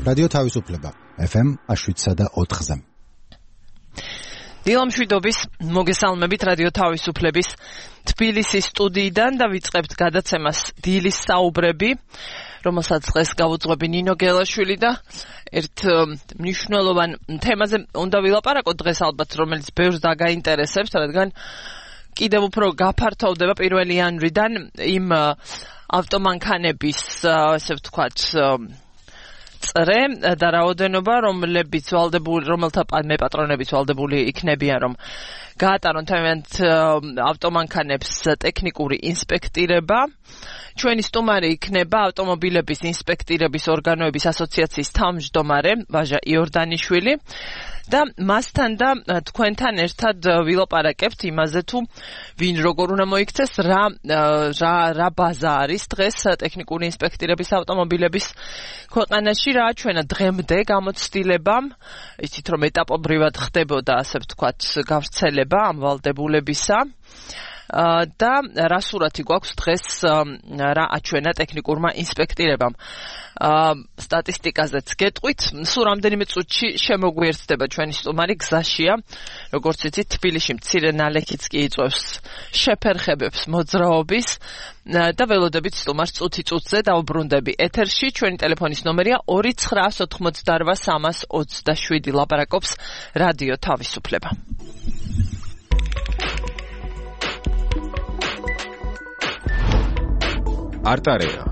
რადიო თავისუფლება FM 7.4-ზე. დილამშვიდობის მოგესალმებით რადიო თავისუფლების თბილისის სტუდიიდან და ვიწყებთ გადაცემას დილის საუბრები, რომელსაც დღეს გავუძღვები ნინო გელაშვილი და ერთ მნიშვნელოვან თემაზე უნდა ვილაპარაკოთ დღეს ალბათ, რომელიც ბევრს დაგაინტერესებს, რადგან კიდევ უფრო გაფართოვდება 1 იანვრიდან იმ ავტომანქანების, ასე ვთქვათ, წრე და რაოდენობა, რომელთა მეპატრონებიც ვალდებული იქნებიან, რომ გაატარონ თავიანთ ავტომანქანებს ტექნიკური ინსპექტირება. ჩვენი სტუმარი იქნება ავტომობილების ინსპექტირების ორგანოების ასოციაციის თავმჯდომარე ვაჟა იორდანიშვილი და მასთან და თქვენთან ერთად ვილაპარაკებთ იმაზე, თუ ვინ როგორ უნდა მოიქცეს, რა ბაზა არის დღეს ტექნიკური ინსპექტირების ავტომობილების ქვეყანაში, რა ჩვენა დღემდე გამოცდილებამ, იცით რომ ეტაპობრივად ხდებოდა, ასე ვთქვათ, გავრცელება ამ ვალდებულებისა. და რა სურათი გვაქვს დღეს რა აჩვენა ტექნიკურმა ინსპექტირებამ. სტატისტიკაზეც გეტყვით, სულ რამდენიმე წუთში შემოგვიერთდება ჩვენი სტუმარი, გზაშია, როგორც იცით, თბილისში მცირე ნალექიც კი იწვევს შეფერხებებს მოძრაობის და ველოდებით სტუმარს წუთი-წუთზე დავუბრუნდები ეთერში. ჩვენი ტელეფონის ნომერია 2988327. ლაპარაკობს რადიო თავისუფლება. არტარეა.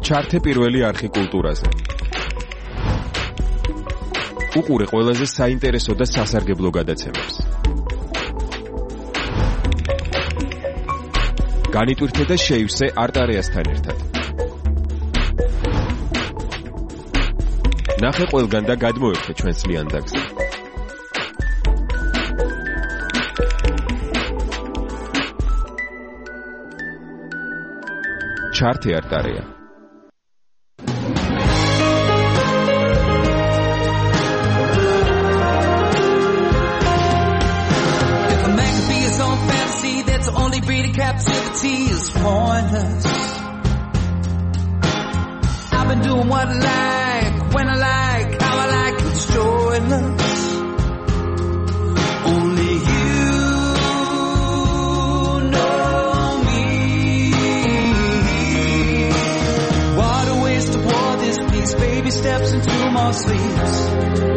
ჩართე პირველი არხი კულტურაზე. უყურე ყველაზე საინტერესო და სასარგებლო გადაცემებს. განიტვირთე და შეივსე არტარეასთან ერთად. ნახე ყველგან და გადმოერთე ჩვენს ლიანდაგზე. ჩართე არტარეა. Captivity is pointless. I've been doing what I like, when I like, how I like, it's joyless. Only you know me. What a waste of war this piece. Baby steps into my sleeves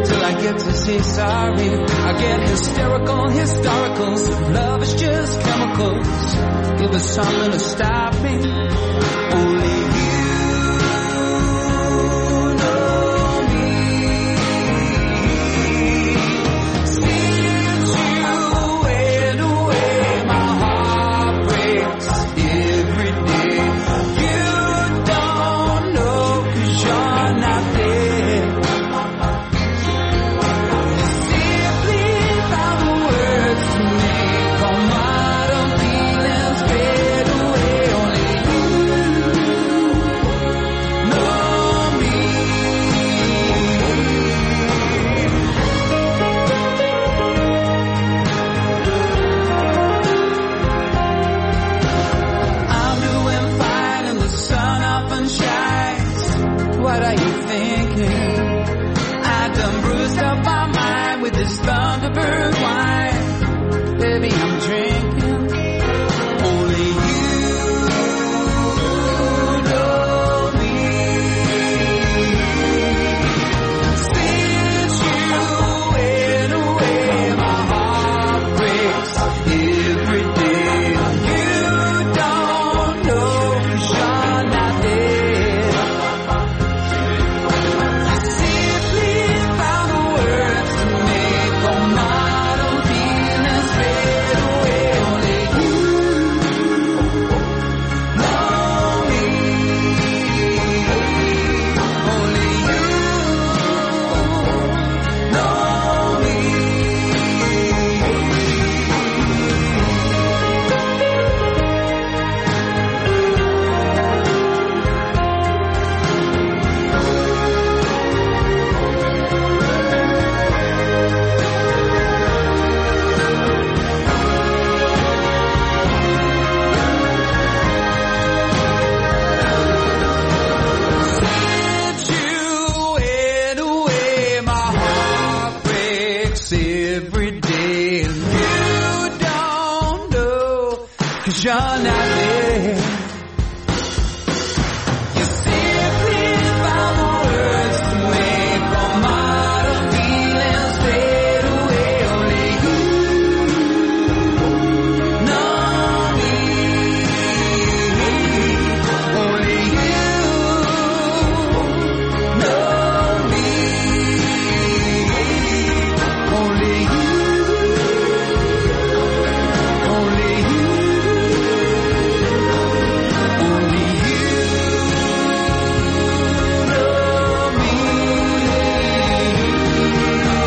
till I get to say sorry. I get hysterical, historical. So love is just chemicals. Give us something to stop me. Only you know me. Since you went away, my heart breaks every day. You don't know 'cause you're not there. Simply found the words to make all my feelings fade away. Only you 'cause you're not there. You simply found the words to make all my feelings fade away. Only you know me. Only you know me. Only you. Only you. Only you know me. All the way. Waiting for you all my life.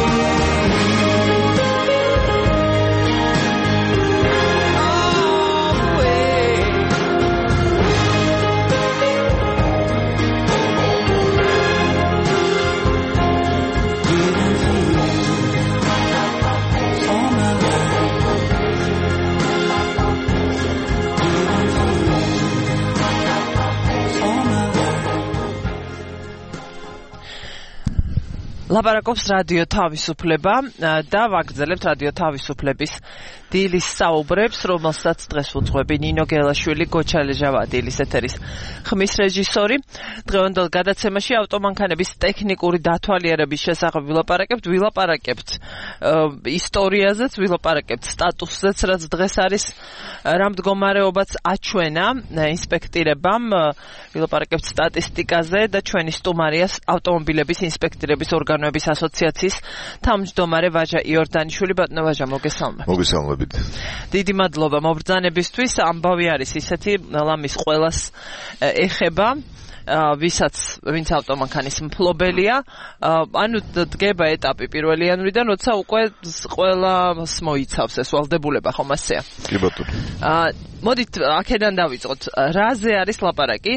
Waiting for you all my life. ლაპარაკობს რადიო თავისუფლება და ვაგრძელებთ რადიო თავისუფლების დილის საუბრებს, რომელსაც დღეს უძღვები ნინო გელაშვილი, გოჩალეჟავა დილის ეთერის ხმის რეჟისორი. დღევანდელ გადაცემაში ავტომანქანების ტექნიკური დათვალიერების შესახებ ვილაპარაკებთ ისტორიაზეც, ვილაპარაკებთ სტატუსზეც, რაც დღეს არის, რა მდგომარეობაც აჩვენა ინსპექტირებამ, ვილაპარაკებთ სტატისტიკაზე და ჩვენი სტუმარია ავტომობილების ინსპექტირების ორგანოების ასოციაციის თავმჯდომარე ვაჟა იორდანიშვილი. ბატონო ვაჟა, მოგესალმებით. მოგესალმებით. დიდი მადლობა მობრძანებისთვის. ამბავი არის ისეთი, ლამის ყველას ეხება, ვინც ავტომანქანის მფლობელია. ანუ დგება ეტაპი პირველი იანვრიდან, როცა უკვე ყველას მოიცავს ეს ვალდებულება, ხომ ასეა? კი ბატონო. მოდით აქედან დავიწყოთ. რაზე არის ლაპარაკი?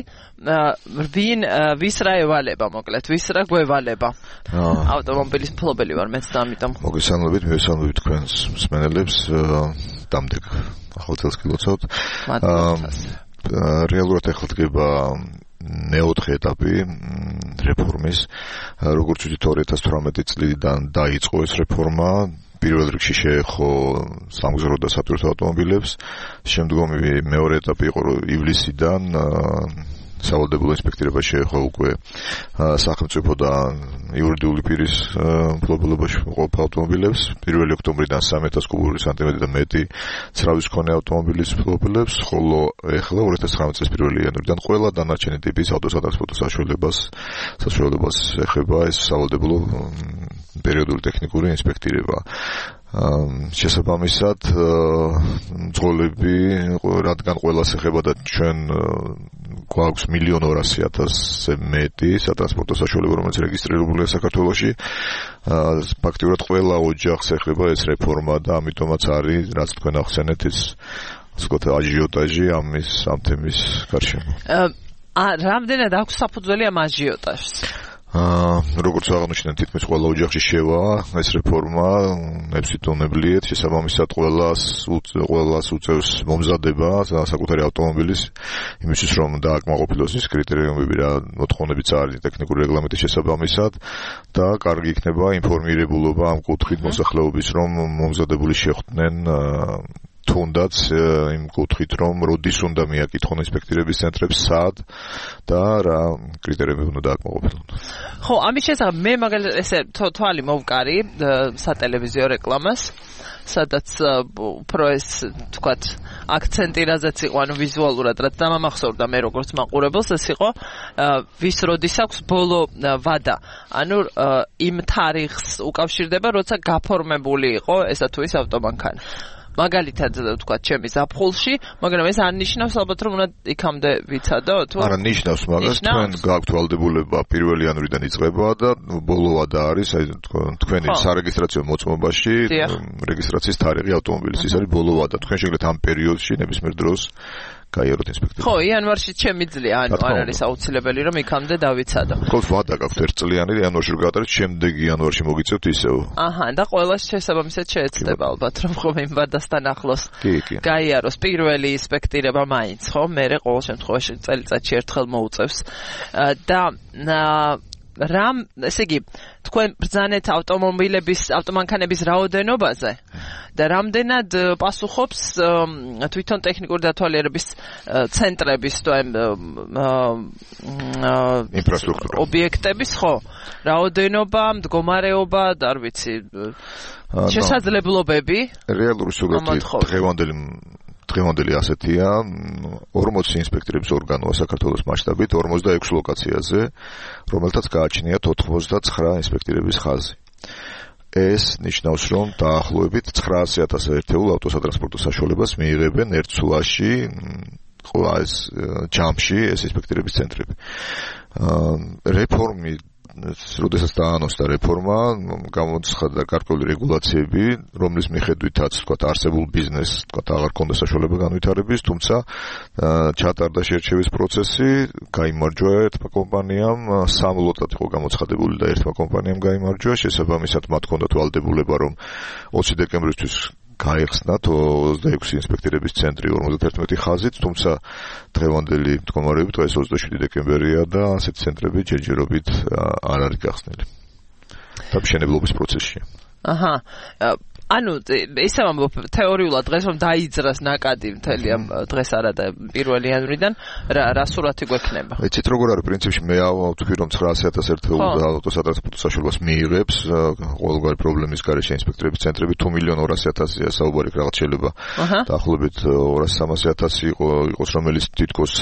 ვის რა ევალება, მოკლედ, ვის რა გვევალება? ავტომობილის მფლობელი ვარ მეც და ამიტომ. მოგესალმებით თქვენს მსმენელებს. დამდეგ ახალ წელს გილოცავთ. რეალურად ახლა დგება მეოთხე ეტაპი რეფორმის. როგორც ვთქვით, 2018 წლიდან დაიწყო ეს რეფორმა. პირველ რიგში შეეხო სამგზავრო და სატვირთო ავტომობილებს. შემდგომი მეორე ეტაპი იყო ივლისიდან სავალდებულო ინსპექტირება შეეხო უკვე სახელმწიფო და იურიდიული პირის მფლობელობაში მყოფ ავტომობილებს. 1 ოქტომბრიდან 3000 კუბური სანტიმეტრი და მეტი ცრავის მქონე ავტომობილის მფლობელებს, ხოლო ეხლა 2019 წლის 1 იანვრიდან ყველა დანარჩენი ტიპის ავტოსატრანსპორტო საშუალებას ეხება ეს სავალდებულო პერიოდული ტექნიკური ინსპექტირება. შესაბამისად მძღოლები, რადგან ყველას ეხება და ჩვენ გვაქვს 1,200,000-ზე მეტი სატრანსპორტო საშუალება, რომელიც რეგისტრირებულია საქართველოში. ფაქტიურად ყველა ოჯახს ეხება ეს რეფორმა და ამიტომაც არის, რაც თქვენ ახსენეთ, ეს ასე ვთქვათ, აჟიოტაჟი ამ თემის გარშემო. რამდენად აქვს საფუძველი ამ აჟიოტაჟს? როგორც აღნიშნეთ, თითქმის ყველა ოჯახში შევა ეს რეფორმა, ნებსიტონებლიეთ, შესაბამისად ყველას უწევს მომზადება საკუთარი ავტომობილის იმისთვის, რომ დააკმაყოფილოს ის კრიტერიუმები, რა მოთხოვნებიც არის ტექნიკური რეგლამენტის შესაბამისად და კარგი იქნება ინფორმირებულობა ამ კუთხით მოსახლეობის, რომ მომზადებული შეხვდნენ თუნდაც იმ კუთხით, რომ როდის უნდა მიაკითხონ ინსპექტირების ცენტრებს, სად და რა კრიტერიუმები უნდა დააკმაყოფილონ. ხო, ამის შესახებ მე მაგალითად ესე თვალი მოვკარი სატელევიზიო რეკლამას, სადაც უფრო ეს თქვათ აქცენტი რაზეც იყო, ანუ ვიზუალურად რაც დამამახსოვრდა მე როგორც მაყურებელს, ეს იყო ვის როდის აქვს ბოლო ვადა. ანუ იმ თარიღს უკავშირდება, როცა გაფორმებული იყო ესა თუ ის ავტომანქანა. მაგალითად თქვა ჩემი ზაფხულში, მაგრამ ეს არ ნიშნავს ალბათ რომ უნდა იქამდე ვიცადო თუ არა ნიშნავს, მაგას თქვენ გაქვთ ვალდებულება 1 იანვრიდან იწყება და ბოლოვადა არის, აი თქვენი სარეგისტრაციო მოწმობაში რეგისტრაციის თარიღი ავტომობილის, ის არის ბოლოვადა. თქვენ შეგიძლიათ ამ პერიოდში ნებისმიერ დროს გაიაროთ ინსპექტორს. ხო, იანვარში შემიძლია, ანუ არ არის აუცილებელი რომ იქამდე დავიცადო. ხოლმე ვადა გაქვთ ერთწლიანი, იანვარში რო გაატარეთ, შემდეგ იანვარში მოგიწევთ ისევ. აჰა, და ყველას შესაბამისად შეეცდება ალბათ რომ ხომ იმ ვადასთან ახლოს გაიაროს პირველი ინსპექტირება მაინც, ხო? მე ყოველ შემთხვევაში წელიწადში ერთხელ მოუწევს. და რამ, ესე იგი, თქვენ ბრძანეთ ავტომანქანების რაოდენობაზე და რამდენად პასუხობს თვითონ ტექნიკური დათვალიერების ცენტრების ინფრასტრუქტურა ობიექტების ხო რაოდენობა, მდგომარეობა და არ ვიცი შესაძლებლობები რეალური სურათი დღევანდელი ასეთია 40 ინსპექტორების ორგანოა საქართველოს მასშტაბით 46 ლოკაციაზე რომელთაც გააჩნიათ 99 ინსპექტორების ხაზი ეს ნიშნავს რომ დაახლოებით 900,000 ერთეულ ავტოსატრანსპორტო საშუალებას მიიღებენ ერთ სულაში ყოველ ჯამში ეს ინსპექტორების ცენტრები რეფორმი როდესაც დაანონსდა რეფორმა, გამოცხადდა გარკვეული რეგულაციები, რომლის მიხედვითაც, თქვათ, არსებულ ბიზნესს, თქვათ, აღარ ქონდა საშუალება განვითარების, თუმცა ჩატარდა შერჩევის პროცესი, გაიმარჯვა ერთმა კომპანიამ, სამ ლოტად იყო გამოცხადებული და ერთმა კომპანიამ გაიმარჯვა, შესაბამისად მათ ჰქონდათ ვალდებულება, რომ 20 დეკემბრისთვის გაიხსნათ 26 ინსპექტორების ცენტრი 51 ხაზით, თუმცა დღევანდელი მდგომარეობით დღეს 27 დეკემბერია და ასეთი ცენტრები ჯერჯერობით არ არის გახსნილი. დამშენებლობის პროცესშია. აჰა. ანუ ისე ვამბობ თეორიულად დღეს რომ დაიძრას ნაკადი მთელი ამ დღეს არა და 1 იანვრიდან რა სურათი გვექნება? ეცით როგორ არის პრინციპში მე ვთქვი რომ 900,000 ერთეულ ავტოსატრანსპორტო საშუალებას მიიღებს ყოველგვარი პრობლემის გარეშე ინსპექტორების ცენტრები 2,200,000-ია საუბარი რაღაც შეიძლება დაახლოებით 200-300,000 იყოს რომელიც თითქოს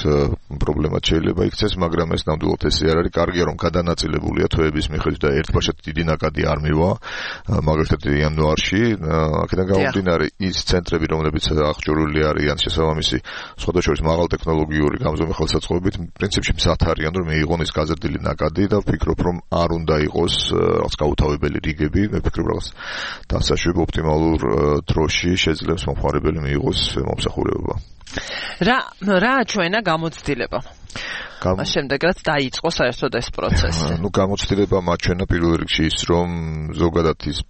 პრობლემად შეიძლება იქცეს მაგრამ ეს ნამდვილად ესე არ არის კარგია რომ გადანაწილებულია თვეების მიხედვით და ერთბაშად დიდი ნაკადი არ მივა მაგალითად იანვარში აქედან გამომდინარე ის ცენტრები რომლებიც აღჭურვილი არიან შესაბამისი სხვადასხვა მაღალ ტექნოლოგიური გამზომი ხელსაწყოებით პრინციპში მზად არიან რომ მიიღონ ის გაზრდილი ნაკადი და ვფიქრობ რომ არ უნდა იყოს რაღაც გაუთავებელი რიგები მე ვფიქრობ რაღაც დასაშვებ ოპტიმალურ დროში შეძლებს მომხმარებელი მიიღოს მომსახურება რა ჩვენა გამოცდილება მას შემდეგ რაც დაიწყო საერთოდ ეს პროცესი ნუ გამოცდილება მაჩვენა პირველ რიგში ის რომ ზოგადად ის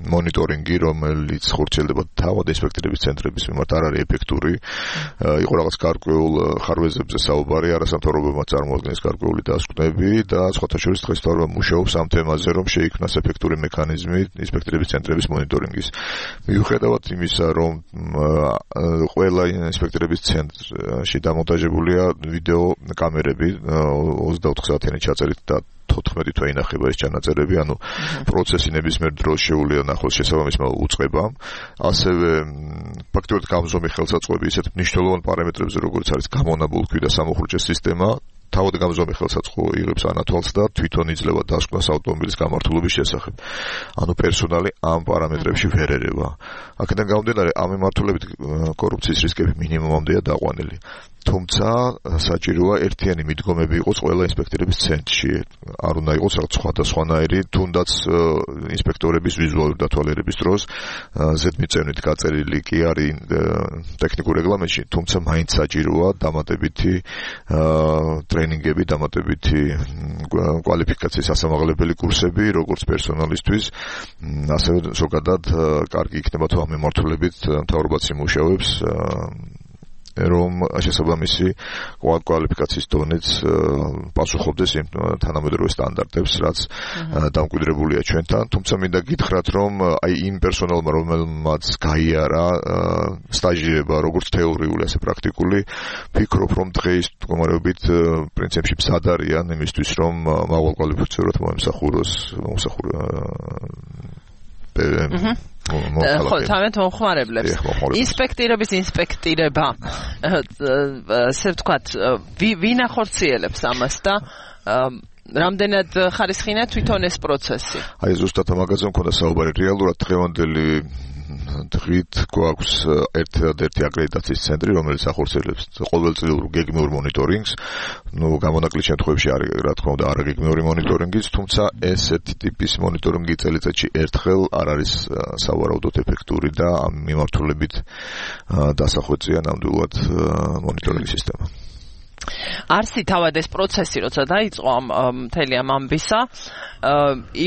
მონიტორინგი, რომელიც ხორციელდება თავად ინსპექტორების ცენტრების მიმართ არ არის ეფექტური. იყო რაღაც გარკვეულ ხარვეზებზე საუბარი, არასამთავრობოებმა წარმოადგენს გარკვეული დასკვნები და სხვათა შორის დღეს თავრობა მუშაობს ამ თემაზე, რომ შეიქმნას ეფექტური მექანიზმი ინსპექტორების ცენტრების მონიტორინგის. მიუხედავად იმისა, რომ ყველა ინსპექტორების ცენტრში დამონტაჟებულია ვიდეო კამერები 24 საათიანი ჩაწერით და 14 თვე ინახება ეს ჩანაწერები, ანუ პროცესი ნებისმიერ დროს შეუძლია ნახოს შესაბამისმა უწყებამ. ასევე ფაქტობრივად გამზომი ხელსაწყოები ისეთ მნიშვნელოვან პარამეტრებზე, როგორც არის გამონაბოლქვი და სამოხურჭე სისტემა, თავად გამზომი ხელსაწყო იღებს ანათვალს და თვითონ იძლევა დასკვნას ავტომობილის გამართულების შესახებ. ანუ პერსონალი ამ პარამეტრებში ვერ ერევა. აქედან გამომდინარე, ამ მიმართულებით კორუფციის რისკები მინიმუმამდეა დაყვანილი. თუმცა საჭიროა ერთიანი მიდგომები იყოს ყველა ინსპექტორების ცენტრში. არ უნდა იყოს რაღაც სხვადასხვანაირი, თუნდაც ინსპექტორების ვიზუალური დათვალიერების დროს ზედმიწევნით გაწერილი კი არის ტექნიკურ რეგლამენტში, თუმცა მაინც საჭიროა დამატებითი ტრენინგები, დამატებითი კვალიფიკაციის ასამაღლებელი კურსები, როგორც პერსონალისთვის, ასევე ზოგადად კარგი იქნება თუ ამ მიმართულებით მთავრობაც იმუშავებს რომ შესაბამისი კვალიფიკაციის დონეც პასუხობდეს იმ თანამედროვე სტანდარტებს, რაც დამკვიდრებულია ჩვენთან. თუმცა მინდა გითხრათ, რომ აი იმ პერსონალმა, რომელმაც გაიარა სტაჟირება, როგორც თეორიული, ასე პრაქტიკული, ვფიქრობ, რომ დღეს მდგომარეობით პრინციპში მზად არიან იმისთვის, რომ მაღალ კვალიფიცირებად მოემსახუროს ხო, თავად მომხმარებლებს. ინსპექტორების ინსპექტირება, ასე ვთქვათ, ვინ ახორციელებს ამას და რამდენად ხარისხიანია თვითონ ეს პროცესი? აი ზუსტად მაგაზე მქონდა საუბარი. რეალურად დღევანდელი დღით გვაქვს ერთადერთი აკრედიტაციის ცენტრი, რომელიც ახორციელებს ყოველწლიურ გეგმიურ მონიტორინგს. ნუ გამონაკლისის შემთხვევაში არის, რა თქმა უნდა, არაგეგმიური მონიტორინგიც, თუმცა ესეთი ტიპის მონიტორინგი წელიწადში ერთხელ არ არის სავარაუდოდ ეფექტური და ამ მიმართულებით დასახვეწია ნამდვილად მონიტორინგის სისტემა. არსი თავად ეს პროცესი, როცა დაიწყო მთელი ამ ამბისა,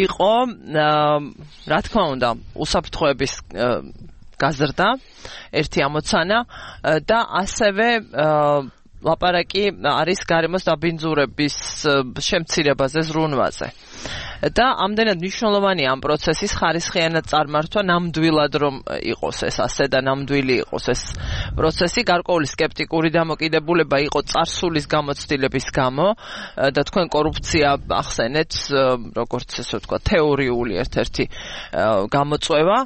იყო, რა თქმა უნდა, უსაფრთხოების გაზრდა, ერთი ამოცანა და ასევე ლაპარაკი არის გარემოს დაბინძურების შემცირებაზე ზრუნვაზე. და ამდენად მნიშვნელოვანი ამ პროცესის ხარისხიანად წარმართვა ნამდვილად რომ იყოს ეს ასე და ნამდვილი იყოს ეს პროცესი გარკვეული სკეპტიკური დამოკიდებულება იყო წარსულის გამოცდილების გამო და თქვენ კორუფცია ახსენეთ როგორც ესე ვთქვა თეორიული ერთ-ერთი გამოწვევა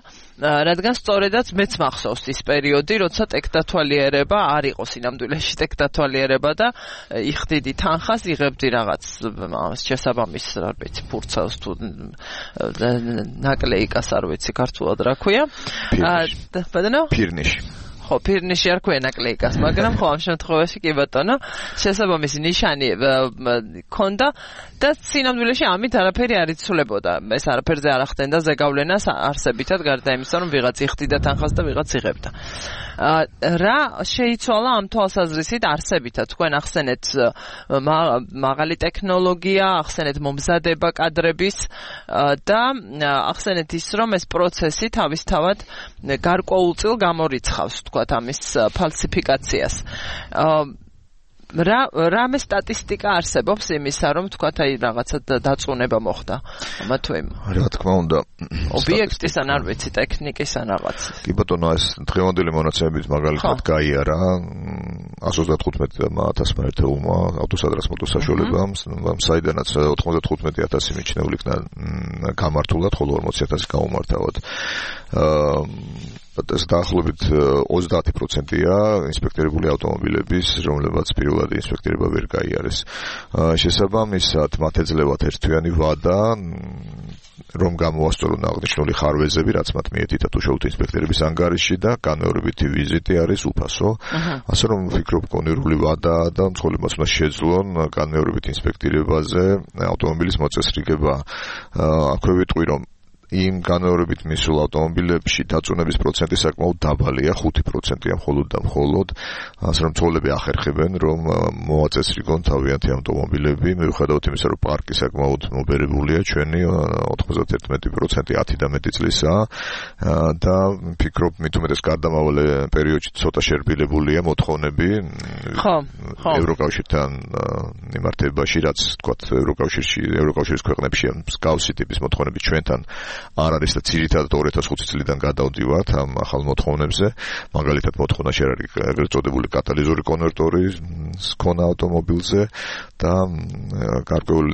რადგან სწორედაც მეც მახსოვს ის პერიოდი, როცა ტექდათვალიერება არ იყო სინამდვილეში ტექდათვალიერება და იხდიდი თანხას, იღებდი რაღაც შესაბამის, რა ვიცი, ფურცელს თუ ნაკლეიკას არ ვიცი ქართულად რა ქვია. ფირნიში. ხო, ფირნიში არ ქვია ნაკლეიკას, მაგრამ ხო ამ შემთხვევაში კი ბატონო, შესაბამისი ნიშანი ქონდა და სინამდვილეში ამით არაფერი არ იცვლებოდა. ეს არაფერზე არ ახდენდა ზეგავლენას არსებითად გარდა იმისა, რომ ვიღაც იხდიდა თანხას და ვიღაც იღებდა. რა შეიცვალა ამ თვალსაზრისით არსებითად? თქვენ ახსენეთ მაღალი ტექნოლოგია, ახსენეთ მომზადება კადრების და ახსენეთ ის, რომ ეს პროცესი თავისთავად გარკვეულწილ გამორიცხავს თქვათ ამის ფალსიფიკაციას. რამე სტატისტიკა არსებობს იმისა, რომ თქვათ აი რაღაცა დაწუნება მოხდა ამა თუ იმ. რა თქმა უნდა, ობიექტის ან არ ვიცი, ტექნიკის ან რაღაც. კი ბატონო, ეს დღევანდელი მონაცემების მაგალითად გაიარა 135,000 ერთეულმა ავტოსადრასმოტო საშუალებამ, საიდანაც 95,000 მიჩნეული იქნა გამართულად, ხოლო 40,000 გაუმართავად. ეს დაახლოებით 30%-ია ინსპექტირებული ავტომობილების, რომლებაც პირველად ინსპექტირება ვერ გაიარეს. შესაბამისად, მათ ეძლევათ ერთთვიანი ვადა, რომ გამოასწორონ აღნიშნული ხარვეზები, რაც მათ მიეთითათ უშუალოდ ინსპექტორების ანგარიში და განმეორებითი ვიზიტი არის უფასო. ასე რომ ვფიქრობ, კონკრეტული ვადა და მცხოვრებელს უნდა შეძლონ განმეორებით ინსპექტირებაზე ავტომობილის მოწესრიგება. აქვე ვიტყვი, რომ იმ განმეორებით მისულ ავტომობილებში დაწუნების პროცენტი საკმაოდ დაბალია, 5%-ია მხოლოდ და მხოლოდ. ასე რომ მცხოვრებლები ახერხებენ, რომ მოაწესრიგონ თავიანთი ავტომობილები, მიუხედავად იმისა, რომ პარკი საკმაოდ მობერებულია, ჩვენი 91% 10 და მეტი წლისაა და ვფიქრობ, მით უმეტეს გარდამავალ პერიოდში ცოტა შერბილებულია მოთხოვნები ევროკავშირთან მიმართებაში, რაც თქვათ ევროკავშირის ქვეყნებში მსგავსი ტიპის მოთხოვნები ჩვენთან არ არის და ძირითადად 2005 წლიდან გადავდივართ ამ ახალ მოთხოვნებზე. მაგალითად მოთხოვნა შეერარი ეგრეთ წოდებული კატალიზური კონვერტორის ქონა ავტომობილზე და გარკვეულ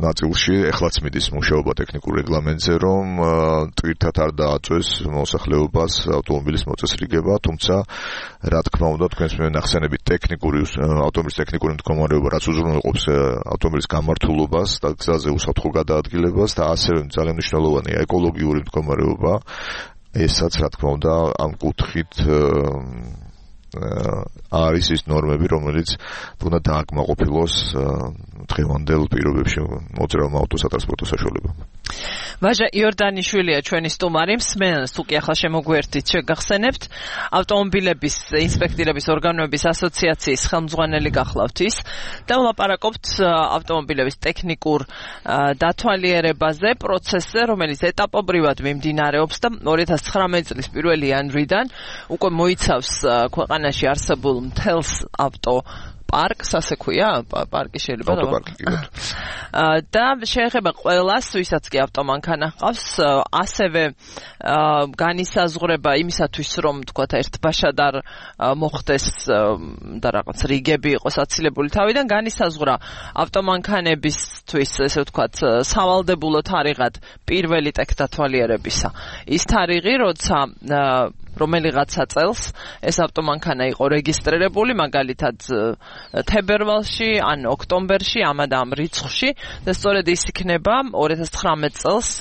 ნაწილში ეხლაც მიდის მუშაობა ტექნიკურ რეგლამენტზე, რომ ტვირთად არ დააწვეს მოსახლეობას ავტომობილის მოწესრიგება, თუმცა რა თქმა უნდა თქვენს მენახსენებით ავტომობილის ტექნიკური მდგომარეობა, რაც უზრუნველყოფს ავტომობილის გამართულობას და გზაზე უსაფრთხო გადაადგილებას და ასევე ძალიან მნიშვნელოვანია ეკოლოგიური მდგომარეობა, ესაც რა თქმა უნდა ამ კუთხით არის ის ნორმები, რომელიც უნდა დააკმაყოფილოს დღევანდელ პირობებში მოძრაობ ავტოსატრანსპორტო საშუალებამ. ვაჟა იორდანიშვილია ჩვენი სტუმარი, მსმენელს თუ კი ახლა შემოგვერთით, შეგახსენებთ ავტომობილების ინსპექტირების ორგანოების ასოციაციის ხელმძღვანელი გახლავთ ის და ვლაპარაკობთ ავტომობილების ტექნიკურ დათვალიერებაზე, პროცესზე, რომელიც ეტაპობრივად მიმდინარეობს და 2019 წლის 1 იანვრიდან უკვე მოიცავს ქვეყანაში არსებულ მთელს ავტო პარკს, ასე ქვია, პარკი შეიძლება და შეეხება ყველას, ვისაც კი ავტომანქანა ჰყავს, ასევე განისაზღვრება იმისათვის, რომ თქვა ერთბაშად არ მოხდეს და რაღაც რიგები იყოს აცილებული თავიდან, განისაზღვრა ავტომანქანებისთვის, ესე ვთქვათ, სავალდებულო თარიღად პირველი ტექდათვალიერებისა. ის თარიღი, როცა რომელიღაცა წელს ეს ავტომანქანა იყო რეგისტრირებული, მაგალითად თებერვალში ან ოქტომბერში, ამ და ამ რიცხვში და სწორედ ის იქნება 2019 წელს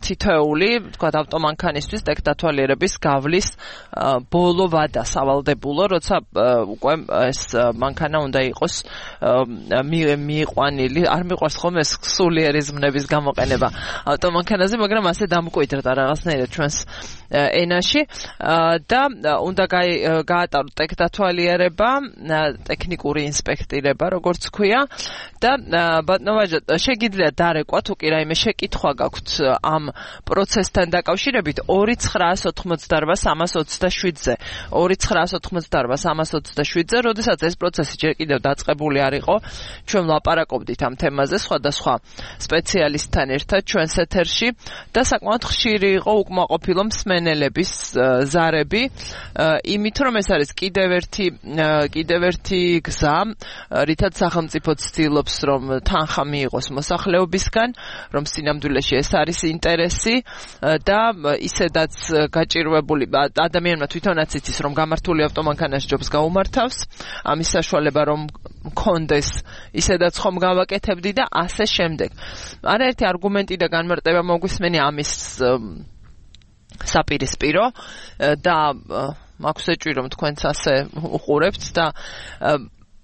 თითოეული, თქვა ავტომანქანისთვის ტექდათვალიერების გავლის ბოლო ვადა სავალდებულო, როცა უკვე ეს მანქანა უნდა იყოს მიიყვანილი, არ მიყვარს ხოლმე ეს სულიერი ზმნების გამოყენება ავტომანქანაზე, მაგრამ ასე დამკვიდრდა რაღაცნაირად ჩვენს ენაში ქვეყანაში და უნდა გაატაროთ ტექდათვალიერება, ტექნიკური ინსპექტირება, როგორც ქვია და ბატონო შეგიძლიათ დარეკვა თუ კი რაიმე შეკითხვა გაქვთ ამ პროცესთან დაკავშირებით 2988-327-ზე 2988-327-ზე, როდესაც ეს პროცესი ჯერ კიდევ დაწყებული არ იყო, ჩვენ ვლაპარაკობდით ამ თემაზე სხვადასხვა სპეციალისტთან ერთად ჩვენს ეთერში და საკმაოდ ხშირი იყო უკმაყოფილო მსმენელების ზარები, იმით რომ ეს არის კიდევ ერთი გზა, რითაც სახელმწიფო ცდილობს რომ თანხა მიიღოს მოსახლეობისგან, რომ სინამდვილეში ეს არის ინტერესი და ისედაც გაჭირვებული ადამიანმა თვითონაც იცის რომ გამართული ავტომანქანაში ჯობს გაუმართავს, ამის საშუალება რომ მქონდეს ისედაც ხომ გავაკეთებდი და ასე შემდეგ. არაერთი არგუმენტი და განმარტება მოგვისმენი ამის საპირისპირო და მაქვს ეჭვი რომ თქვენც ასე უყურებთ და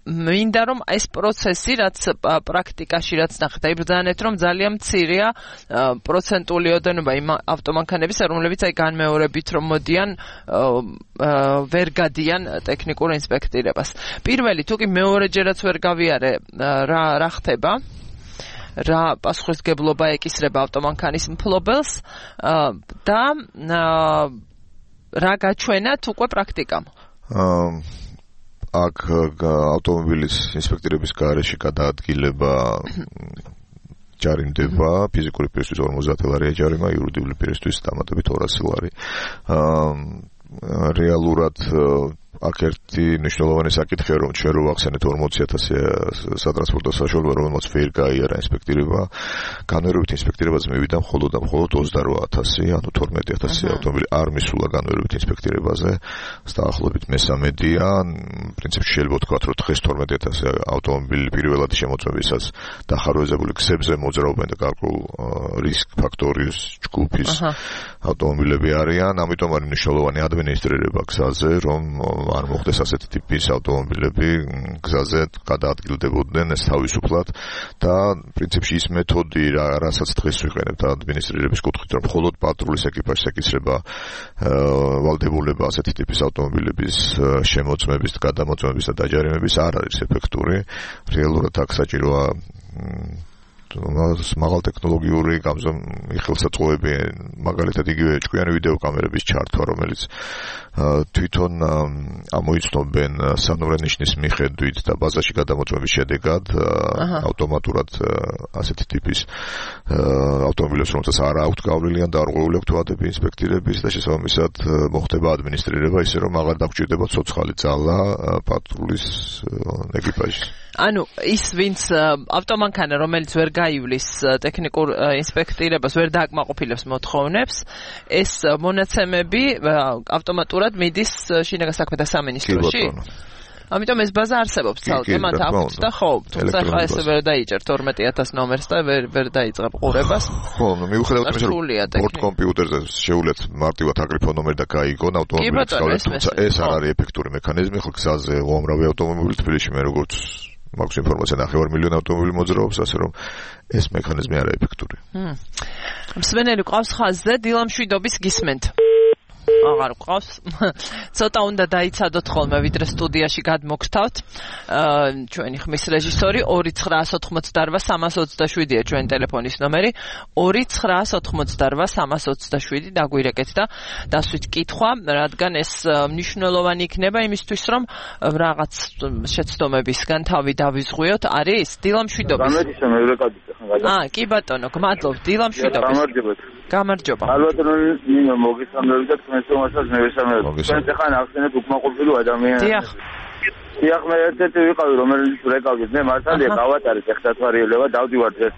მინდა რომ ეს პროცესი რაც პრაქტიკაში რაც ნახეთ, იბრძანეთ რომ ძალიან მცირეა პროცენტული ოდენობა იმ ავტომანქანების, რომლებიც აი განმეორებით რომ მოდიან ვერ გადიან ტექნიკურ ინსპექტირებას. პირველი თუ კი მეორეჯერაც ვერ გავიარე რა ხდება, რა პასუხისმგებლობა ეკისრება ავტომანქანის მფლობელს და რა გაჩვენათ უკვე პრაქტიკამ. აქ ავტომობილის ინსპექტირების გარეშე გადაადგილება ჯარიმდება, ფიზიკური პირისთვის 50 ლარია ჯარიმა, იურიდიული პირისთვის დამატებით 200 ლარი. რეალურად აქ ერთი მნიშვნელოვანი საკითხია, რომ ჩვენ რო ვახსენეთ 40,000 სატრანსპორტო საშუალება, რომელმაც ვერ გაიარა ინსპექტირება, განვერებით ინსპექტირებაზე მივიდა მხოლოდ 28,000, ანუ 12,000 ავტომობილი არ მისულა განვერებით ინსპექტირებაზე, დაახლოებით მესამედია. პრინციპში შეიძლება ვთქვათ, რომ დღეს 12,000 ავტომობილი პირველადი შემოწმებისას დახარვეზებული გზებზე მოძრაობენ და გარკვეულ რისკ ფაქტორის ჯგუფის ავტომობილები არიან, ამიტომ არის მნიშვნელოვანი ადმინისტრირება გზაზე, რომ არ მოხდეს ასეთი ტიპის ავტომობილები გზაზე გადაადგილდებოდნენ ეს თავისუფლად და პრინციპში ის მეთოდი რასაც დღეს ვიყენებთ ადმინისტრირების კუთხით, რომ მხოლოდ პატრულის ეკიპაჟს ეკისრება ვალდებულება ასეთი ტიპის ავტომობილების შემოწმების, გადამოწმების და დაჯარიმების არ არის ეფექტური. რეალურად აქ საჭიროა მაღალ ტექნოლოგიური იხელსაწყოები, მაგალითად იგივე ჭკვიანი ვიდეო კამერების ჩართვა, რომელიც თვითონ ამოიცნობენ სანურე ნიშნის მიხედვით და ბაზაში გადამოწმების შედეგად ავტომატურად ასეთი ტიპის ავტომობილებს, რომელსაც არ აქვთ გავლილი ან დარღვეული აქვთ ვადები ინსპექტირების და შესაბამისად მოხდება ადმინისტრირება, ისე რომ აღარ დაგჭირდება ცოცხალი ძალა პატრულის ეკიპაჟის. ანუ ის ვინც ავტომანქანა რომელიც ვერ გაივლის ტექნიკურ ინსპექტირებას, ვერ დააკმაყოფილებს მოთხოვნებს, ეს მონაცემები ავტომატურად მიდის შინაგან საქმეთა სამინისტროში. ამიტომ ეს ბაზა არსებობს ცალკე, მათ აქვთ და ხო, თუმცა ხა ესე ვერ დაიჭერთ 12,000 ნომერს და ვერ დაიწყებ ყურებას. ხო, მიუხედავად იმისა, რომ ბორტ კომპიუტერზე შეუძლეთ მარტივად აგრიფო ნომერი და გაიგონ ავტომობილის გავლენა, თუმცა ეს არ არის ეფექტური მექანიზმი, ხო გზაზე უამრავი ავტომობილი თბილისში მე როგორც მაქვს ინფორმაცია 9 მილიონი ავტომობილი მოძრაობს, ასე რომ ეს მექანიზმი არა ეფექტური. მსმენელი ყავს ხაზზე, დილამშვიდობის გისმენთ. აღარ ყავს. ცოტა უნდა დაიცადოთ ხოლმე, ვიდრე სტუდიაში გადმოგთავთ. ჩვენი ხმის რეჟისორი 2988-327-ია ჩვენი ტელეფონის ნომერი. 2988-327 დაგვირეკეთ და დასვით კითხვა, რადგან ეს მნიშვნელოვანი იქნება იმისთვის, რომ რაღაც შეცდომებისგან თავი დავიზღვიოთ. არის დილამშვიდობის. კი ბატონო, გმადლობთ. დილამშვიდობის. გამარჯობა. ალბათ ნინო მოგესალმებით და თქვენს თომასაც მევესალმებით. თქვენ ახლა ახსენეთ უკმაყოფილო ადამიანებს. დიახ. დიახ, მე ერთ-ერთი ვიყავი, რომელიც რეკავდით. მე მართალია გავატარეთ ეხსათვარიელება, დავდივართ ეს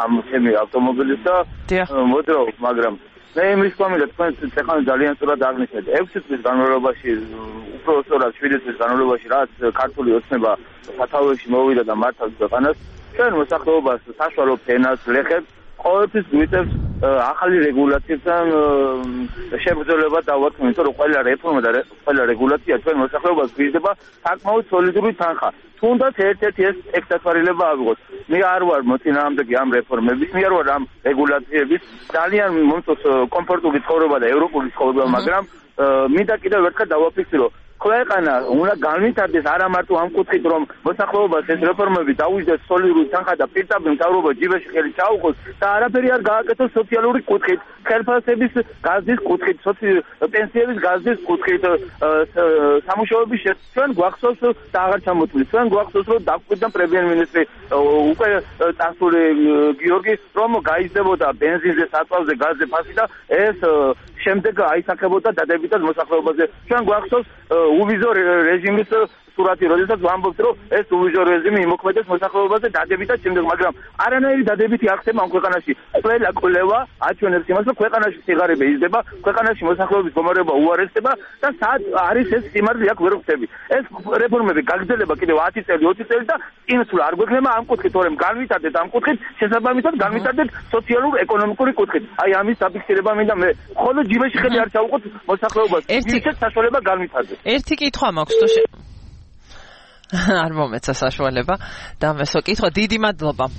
ამ ჩემი ავტომობილის და მოძრაობ, მაგრამ მე იმის გვამიდა თქვენ ახლა ძალიან სწორად აღნიშნეთ. 6 წლის განმავლობაში, უფრო სწორად 7 წლის განმავლობაში, რაც ქართული ოცნება სათავეში მოვიდა და მართავს ქვეყანას, ჩვენ მოსახლეობას საშუალო ფენას ლეხებს ყოველთვის გვიწევს ახალი რეგულაციებთან შეგრძნება დავარქმევ, იმიტომ რომ ყველა რეფორმა და ყველა რეგულაცია ჩვენ მოსახლეობას გვიზრდება საკმაოდ სოლიდური თანხა. თუნდაც ერთ-ერთი ეს ექსტათვარილება ავიღოთ. მე არ ვარ მოწინააღმდეგე ამ რეფორმების, მე არ ვარ ამ რეგულაციების. ძალიან მომწონს კომფორტული ცხოვრება და ევროპული ცხოვრება, მაგრამ მინდა კიდევ ერთხელ დავაფიქსირო ქვეყანა უნდა განვითარდეს არა მარტო ამ კუთხით რომ მოსახლეობას ეს რეფორმები დაუჯდეს სოლიდური თანხა და პირდაპირ მთავრობა ჯიბეში ხელი ჩაუყოს და არაფერი არ გააკეთოს სოციალური კუთხით, ხელფასების გაზის კუთხით, პენსიების გაზის კუთხით, სამუშაოების ჩვენ გვახსოვს და აღარ ჩამოთვლით. ჩვენ გვახსოვს რომ დაგვიყვება პრემიერ-მინისტრი უკვე წასული გიორგი რომ გაიზრდებოდა ბენზინზე, საწვავზე, გაზზე ფასი და ეს შემდეგ აისახებოდა დადებითად მოსახლეობაზე. ჩვენ გვახსოვს უვიზო რეჟიმის სურათი, როდესაც ვამბობთ, რომ ეს უვიზო რეჟიმი იმოქმედებს მოსახლეობაზე დადებითად შემდეგ, მაგრამ არანაირი დადებითი არ ხდება ამ ქვეყანაში. ყველა კვლევა აჩვენებს იმას, რომ ქვეყანაში სიღარიბე იზრდება, ქვეყანაში მოსახლეობის მდგომარეობა უარესდება და სად არის ეს სიმართლე აქ ვერ ვხვდები. ეს რეფორმები გაგრძელება კიდევ 10 წელი, 20 წელი და წინსვლა არ გვექნება ამ კუთხით, თორემ განვითარდეთ ამ კუთხით, შესაბამისად განვითარდეთ სოციალურ-ეკონომიკური კუთხით. აი ამის დაფიქსირება მინდა მე. ხოლო ჯიბეში ხელი არ ჩაუყოთ მოსახლეობას. ისეთ საშუალება განვითარდეს. ერთი კითხვა მაქვს თუ არ მომეცა საშუალება და მესო კითხვა. დიდი მადლობა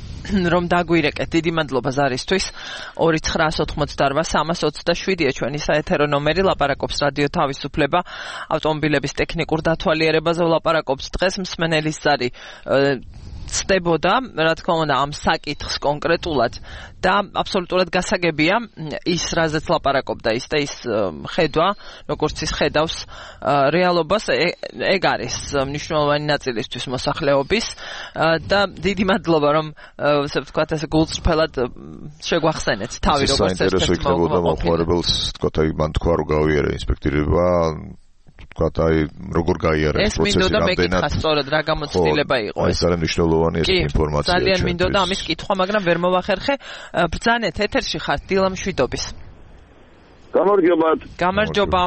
რომ დაგვირეკეთ, დიდი მადლობა ზარისთვის. 2988327-ია ჩვენი საეთერო ნომერი. ლაპარაკობს რადიო თავისუფლება ავტომობილების ტექნიკურ დათვალიერებაზე. ლაპარაკობს დღეს მსმენელის ზარი ცდებოდა, რა თქმა უნდა, ამ საკითხს კონკრეტულად და აბსოლუტურად გასაგებია ის, რაზეც ლაპარაკობდა ის და ის ხედვა, როგორც ის ხედავს რეალობას, ეგ არის მნიშვნელოვანი ნაწილისთვის მოსახლეობის და დიდი მადლობა, რომ ასე ვთქვათ, ეს გულწრფელად შეგვახსენეთ თავი როგორც საინტერესო იქნებოდა მოხმარებელს, თქვათ, აი მან თქვა რომ გავიარე ინსპექტირება ვთქვათ, აი როგორ გაიარა ეს პროცესი რამდენად. ეს მინდოდა მეკითხა სწორად რა გამოცდილება იყო ეს. ეს ძალიან მნიშვნელოვანი ეს ინფორმაცია. ძალიან მინდოდა ამის კითხვა, მაგრამ ვერ მოვახერხე. ბრძანეთ, ეთერში ხართ დილა მშვიდობის. გამარჯობათ. გამარჯობა.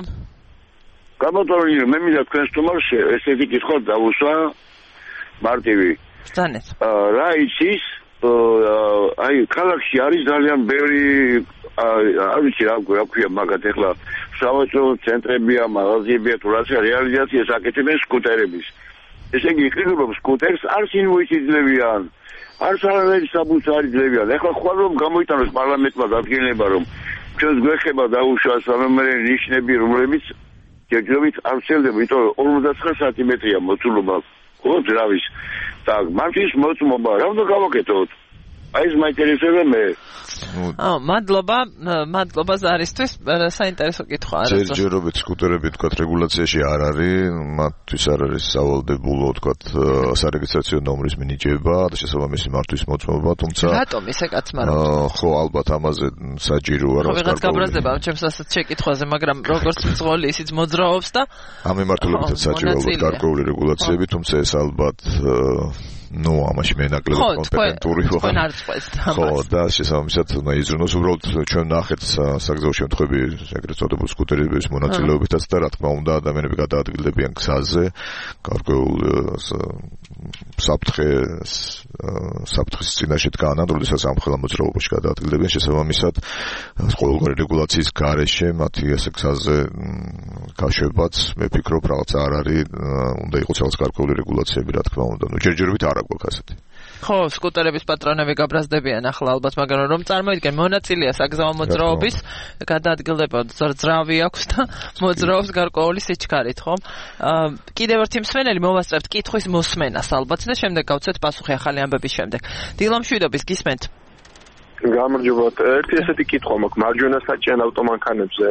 გამარჯობა, მე მინდა თქვენ სტუმარში ესეთი კითხვა დავუსვა მარტივი. ბრძანეთ. რა იცის აი ქალაქში არის ძალიან ბევრი არ ვიცი რა ქვია მაგათ ეხლა სავაჭრო ცენტრებია, მაღაზიებია, თუ რაც რეალიზაციას აკეთებენ სკუტერების. ესე იგი იყიდო სკუტერს არც ინვოისი ძლებიან, არც არანაირი საბუთს არ იძლევიან. ეხლა ხვალ რომ გამოიტანოს პარლამენტმა დადგენილება რომ ჩვენს გვეხება დაუშვას ამერე ნიშნები რომლებიც ჯერჯერობით არ შეიძლება, იმიტომ რომ 59 სანტიმეტრია მოცულობა ხო ძრავის და მამჩის მოწმობა რა უნდა გავაკეთოთ? აი ეს მაინტერესებდა მე. მადლობა ზარისთვის, საინტერესო კითხვაა. ჯერჯერობით სკუტერები თქვათ რეგულაციაში არ არის, მათთვის არ არის სავალდებულო თქვათ სარეგისტრაციო ნომრის მინიჭება და შესაბამისი მართვის მოწმობა, თუმცა რატომ ისე კაცმარო? ხო, ალბათ ამაზე საჭიროა რომ ვიღაც გაბრაზდება ჩემს ასეთ შეკითხვაზე, მაგრამ როგორც მძღოლი ისიც მოძრაობს და ამ მიმართულებითაც საჭირო ალბათ გარკვეული რეგულაციები, თუმცა ეს ალბათ ნუ ამაში მე ნაკლები კომპეტენტური ვარ. თქვენ არ წყვეტთ ამას. ხო, და შესაბამისად უნდა იზრუნოს უბრალოდ ჩვენ ნახეთ საგზაო შემთხვევები, ეგრეთ წოდებული სკუტერების მონაწილეობითაც და რა თქმა უნდა ადამიანები გადაადგილდებიან გზაზე, გარკვეულ საფრთხის წინაშე დგანან, როდესაც ამხელა მოძრაობაში გადაადგილდებიან, შესაბამისად ყოველგვარი რეგულაციის გარეშე მათი ესე გზაზე გაშვებაც მე ვფიქრობ რაღაც არ არის, უნდა იყოს რაღაც გარკვეული რეგულაციები, რა თქმა უნდა. ნუ ჯერჯერობით არ აქვს ასეთი. ხო, სკუტერების პატრონები გაბრაზდებიან ახლა ალბათ, მაგრამ რომ წარმოიდგენ მონაწილეა საგზაო მოძრაობის, გადაადგილდება ძრავი აქვს და მოძრაობს გარკვეული სიჩქარით, ხო? კიდევ ერთი მსმენელი მოვასწრებთ კითხვის მოსმენას ალბათ და შემდეგ გავცეთ პასუხი ახალი ამბების შემდეგ. დილა მშვიდობის, გისმენთ? გამარჯობათ. ერთი ესეთი კითხვა მაქვს მარჯვენა საჭიან ავტომანქანებზე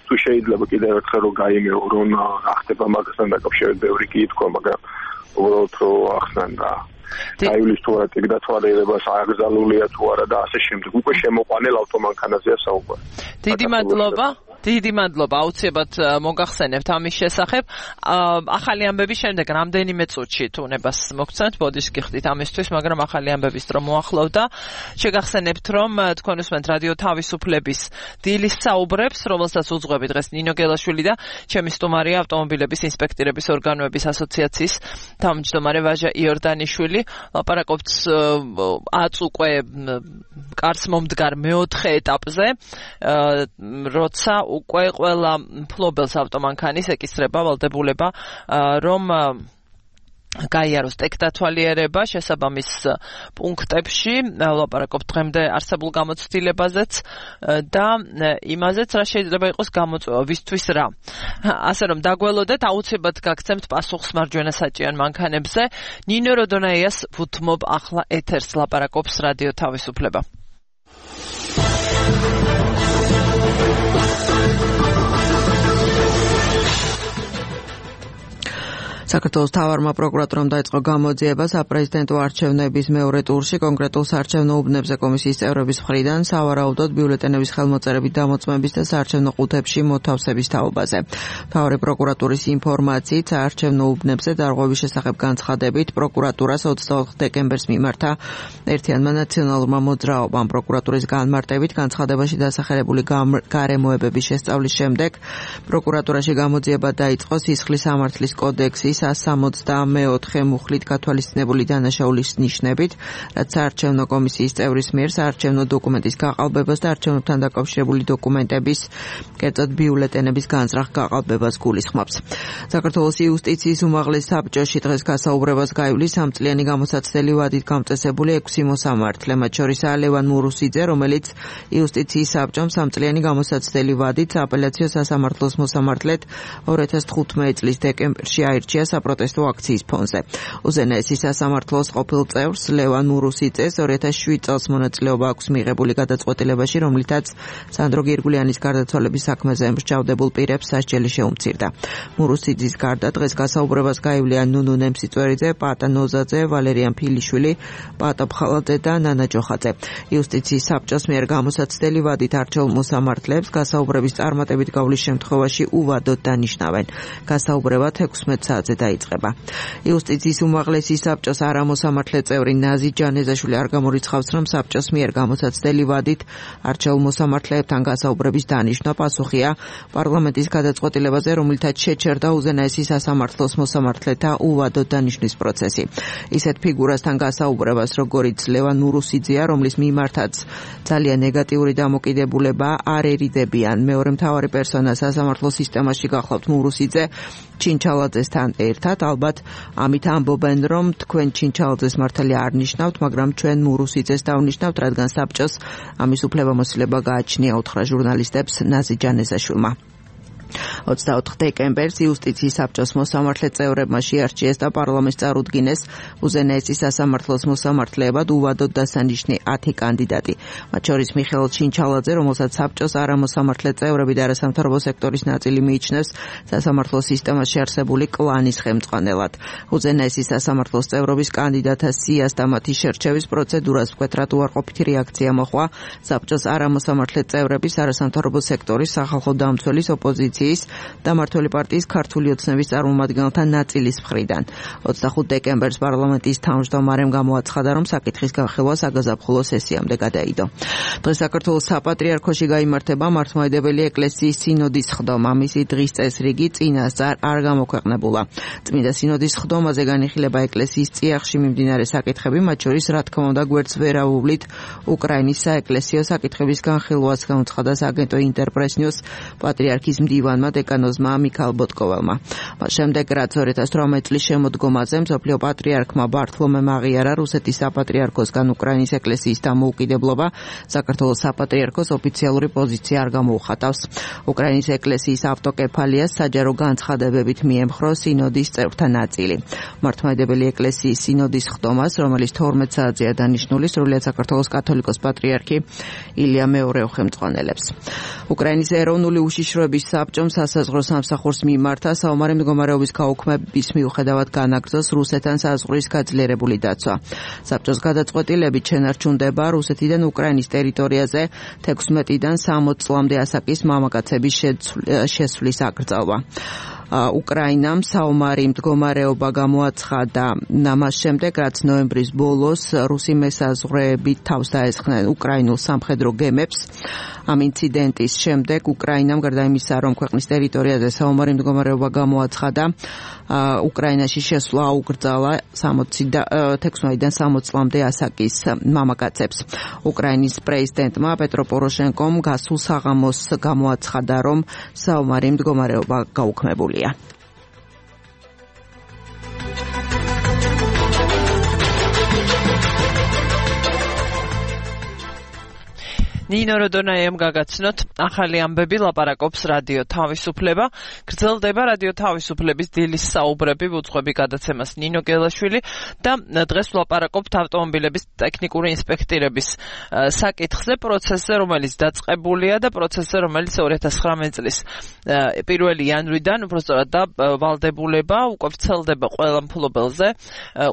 თუ შეიძლება კიდევ ერთხელ რომ გაიმეორონ რა ხდება მაგასთან დაკავშირებით ბევრი კითხვა, მაგრამ უბრალოდ რომ ახსნან და აივლის თუ არა ეგ დათვალიერებას აგზალულია თუ არა და ასე შემდეგ. უკვე შემოყვანილ ავტომანქანაზეა საუბარი. დიდი მადლობა. დიდი მადლობა, აუცილებლად მოგახსენებთ ამის შესახებ. ახალი ამბების შემდეგ რამდენიმე წუთში თუ უნებას მოგცემთ, ბოდიშ გიხდით ამისთვის, მაგრამ ახალი ამბების დრო მოახლოვდა. შეგახსენებთ, რომ თქვენ უსმენთ რადიო თავისუფლების დილის საუბრებს, რომელსაც უძღვები დღეს ნინო გელაშვილი და ჩემი სტუმარია ავტომობილების ინსპექტირების ორგანოების ასოციაციის თავმჯდომარე ვაჟა იორდანიშვილი. ლაპარაკობთ აწუყვე კარს მომდგარ მეოთხე ეტაპზე, როცა უკვე ყველა მფლობელს ავტომანქანის ეკისრება ვალდებულება, რომ გაიაროს ტექდათვალიერება შესაბამის პუნქტებში, ლაპარაკობთ დღემდე არსებულ გამოცდილებაზეც და იმაზეც, რა შეიძლება იყოს გამოწვევა, ვისთვის რა. ასე რომ დაგველოდეთ, აუცილებლად გაგცემთ პასუხს მარჯვენა საჭიან მანქანებზე. ნინო როდონაიას ვუთმობ ახლა ეთერს, ლაპარაკობს რადიო თავისუფლება. საქართველოს მთავარმა პროკურატურამ დაიწყო გამოძიება საპრეზიდენტო არჩევნების მეორე ტურში კონკრეტულ საარჩევნო უბნებზე კომისიის წევრების მხრიდან სავარაუდოდ ბიულეტენების ხელმოწერებით დამოწმების და საარჩევნო ყუთებში მოთავსების თაობაზე. მთავარი პროკურატურის ინფორმაციით საარჩევნო უბნებზე დარღვევის შესახებ განცხადებით პროკურატურას 24 დეკემბერს მიმართა ერთიანმა ნაციონალურმა მოძრაობამ. პროკურატურის განმარტებით განცხადებაში დასახელებული გარემოებების შესწავლის შემდეგ პროკურატურაში გამოძიება დაიწყო სისხლის სამართლის კოდექსის 164 მუხლით გათვალისწინებული დანაშაულის ნიშნებით, რაც საარჩევნო კომისიის წევრის მიერ საარჩევნო დოკუმენტის გაყალბებას და არჩევნებთან დაკავშირებული დოკუმენტების, კერძოდ ბიულეტენების განზრახ გაყალბებას გულისხმობს. საქართველოს იუსტიციის უმაღლეს საბჭოში დღეს გასაუბრებას გაივლის 3 წლიანი გამოსაცდელი ვადით გამწესებული 6 მოსამართლე, მათ შორისაა ლევან მურუსიძე, რომელიც იუსტიციის საბჭომ 3 წლიანი გამოსაცდელი ვადით სააპელაციო სასამართლოს მოსამართლედ 2015 წლის დეკემბერში აირჩია საპროტესტო აქციის ფონზე. უზენაესი სასამართლოს ყოფილ წევრს ლევან მურუსიძეს 2007 წელს მონაწილეობა აქვს მიღებული გადაწყვეტილებაში, რომლითაც სანდრო გირგულიანის გარდაცვალების საქმეზე მსჯავრდებულ პირებს სასჯელი შეუმცირდა. მურუსიძის გარდა დღეს გასაუბრებას გაივლიან ნუნუ ნემსიწვერიძე, პატა ნოზაძე, ვალერიან ფილიშვილი, პატა ფხალაძე და ნანა ჯოხაძე. იუსტიციის საბჭოს მიერ გამოსაცდელი ვადით არჩეულ მოსამართლეებს გასაუბრების წარმატებით გავლის შემთხვევაში უვადოდ დანიშნავენ. გასაუბრება 16 საათზე დაიწყება. იუსტიციის უმაღლესი საბჭოს არამოსამართლე წევრი ნაზი ჯანეზაშვილი არ გამორიცხავს, რომ საბჭოს მიერ გამოსაცდელი ვადით არჩეულ მოსამართლეებთან გასაუბრების დანიშვნა პასუხია პარლამენტის გადაწყვეტილებაზე, რომლითაც შეჩერდა უზენაესი სასამართლოს მოსამართლეთა უვადოდ დანიშვნის პროცესი. ისეთ ფიგურასთან გასაუბრებას, როგორიც ლევან მურუსიძეა, რომლის მიმართაც ძალიან ნეგატიური დამოკიდებულება არ ერიდებიან. მეორე მთავარი პერსონა სასამართლო სისტემაში გახლავთ მურუსიძე ჩინჩალაძესთან ერთად, ალბათ ამით ამბობენ, რომ თქვენ ჩინჩალაძეს მართალი არ ნიშნავთ, მაგრამ ჩვენ მურუსიძეს დავნიშნავთ, რადგან საბჭოს ამის უფლებამოსილება გააჩნია, უთხრა ჟურნალისტებს ნაზი ჯანეზაშვილმა. 24 დეკემბერს იუსტიციის საბჭოს მოსამართლე წევრებმა შეარჩიეს და პარლამენტს წარუდგინეს უზენაესი სასამართლოს მოსამართლეებად უვადოდ დასანიშნი 10 კანდიდატი. მათ შორის მიხეილ ჩინჩალაძე, რომელსაც საბჭოს არამოსამართლე წევრები და არასამთავრობო სექტორის ნაწილი მიიჩნევს სასამართლო სისტემაში არსებული კლანის ხელმძღვანელად. უზენაესი სასამართლოს წევრობის კანდიდატთა სიას და მათი შერჩევის პროცედურას მკვეთრად უარყოფითი რეაქცია მოჰყვა საბჭოს არამოსამართლე წევრების, არასამთავრობო სექტორის, სახალხო დამცველის, ოპოზიციის და მმართველი პარტიის ქართული ოცნების წარმომადგენელთა ნაწილის მხრიდან. 25 დეკემბერს პარლამენტის თავმჯდომარემ გამოაცხადა, რომ საკითხის განხილვა საგაზაფხულო სესიამდე გადაიდო. დღეს საქართველოს საპატრიარქოში გაიმართება მართლმადიდებელი ეკლესიის სინოდის ხდომა. მისი დღის წესრიგი წინასწარ არ გამოქვეყნებულა. წმინდა სინოდის ხდომაზე განიხილება ეკლესიის წიაღში მიმდინარე საკითხები, მათ შორის რა თქმა უნდა გვერდს ვერ აუვლით უკრაინის საეკლესიო საკითხების განხილვას, გამოცხადა სააგენტო ინტერპრეს ნიუს პატრიარქის მდივანმა დეკანოზმა მიქაელ ბოტკოველმა. მას შემდეგ, რაც 2018 წლის შემოდგომაზე მსოფლიო პატრიარქმა ბართლომემ აღიარა რუსეთის საპატრიარქოსგან უკრაინის ეკლესიის დამოუკიდებლობა, საქართველოს საპატრიარქოს ოფიციალური პოზიცია არ გამოუხატავს. უკრაინის ეკლესიის ავტოკეფალიას საჯარო განცხადებებით მიემხრო სინოდის წევრთა ნაწილი. მართლმადიდებელი ეკლესიის სინოდის ხდომას, რომელიც 12 საათზეა დანიშნული, სრულიად საქართველოს კათოლიკოს პატრიარქი ილია მეორე უხელმძღვანელებს. უკრაინის ეროვნული უშიშროების საბჭო საბჭომ სასაზღვრო სამსახურს მიმართა საომარი მდგომარეობის გაუქმების მიუხედავად განაგრძოს რუსეთთან საზღვრის გაძლიერებული დაცვა. საბჭოს გადაწყვეტილებით შენარჩუნდება რუსეთიდან უკრაინის ტერიტორიაზე 16-დან 60 წლამდე ასაკის მამაკაცების შესვლის აკრძალვა. უკრაინამ საომარი მდგომარეობა გამოაცხადა ამას შემდეგ, რაც ნოემბრის ბოლოს რუსი მესაზღვრეები თავს დაესხნენ უკრაინულ სამხედრო გემებს. ამ ინციდენტის შემდეგ უკრაინამ გარდა იმისა, რომ ქვეყნის ტერიტორიაზე საომარი მდგომარეობა გამოაცხადა, უკრაინაში შესვლა აუკრძალა 16-დან 60 წლამდე ასაკის მამაკაცებს. უკრაინის პრეზიდენტმა პეტრო პოროშენკომ გასულ საღამოს გამოაცხადა, რომ საომარი მდგომარეობა გაუქმებულია. ნინო როდონაიამ გაგაცნოთ ახალი ამბები ლაპარაკობს რადიო თავისუფლება. გრძელდება რადიო თავისუფლების დილის საუბრები უძღვები გადაცემას ნინო გელაშვილი და დღეს ვლაპარაკობთ ავტომობილების ტექნიკური ინსპექტირების საკითხზე, პროცესზე, რომელიც დაწყებულია და პროცესზე, რომელიც 2019 წლის 1 იანვრიდან უბრალოდ და ვალდებულება უკვე ვრცელდება ყველა მფლობელზე,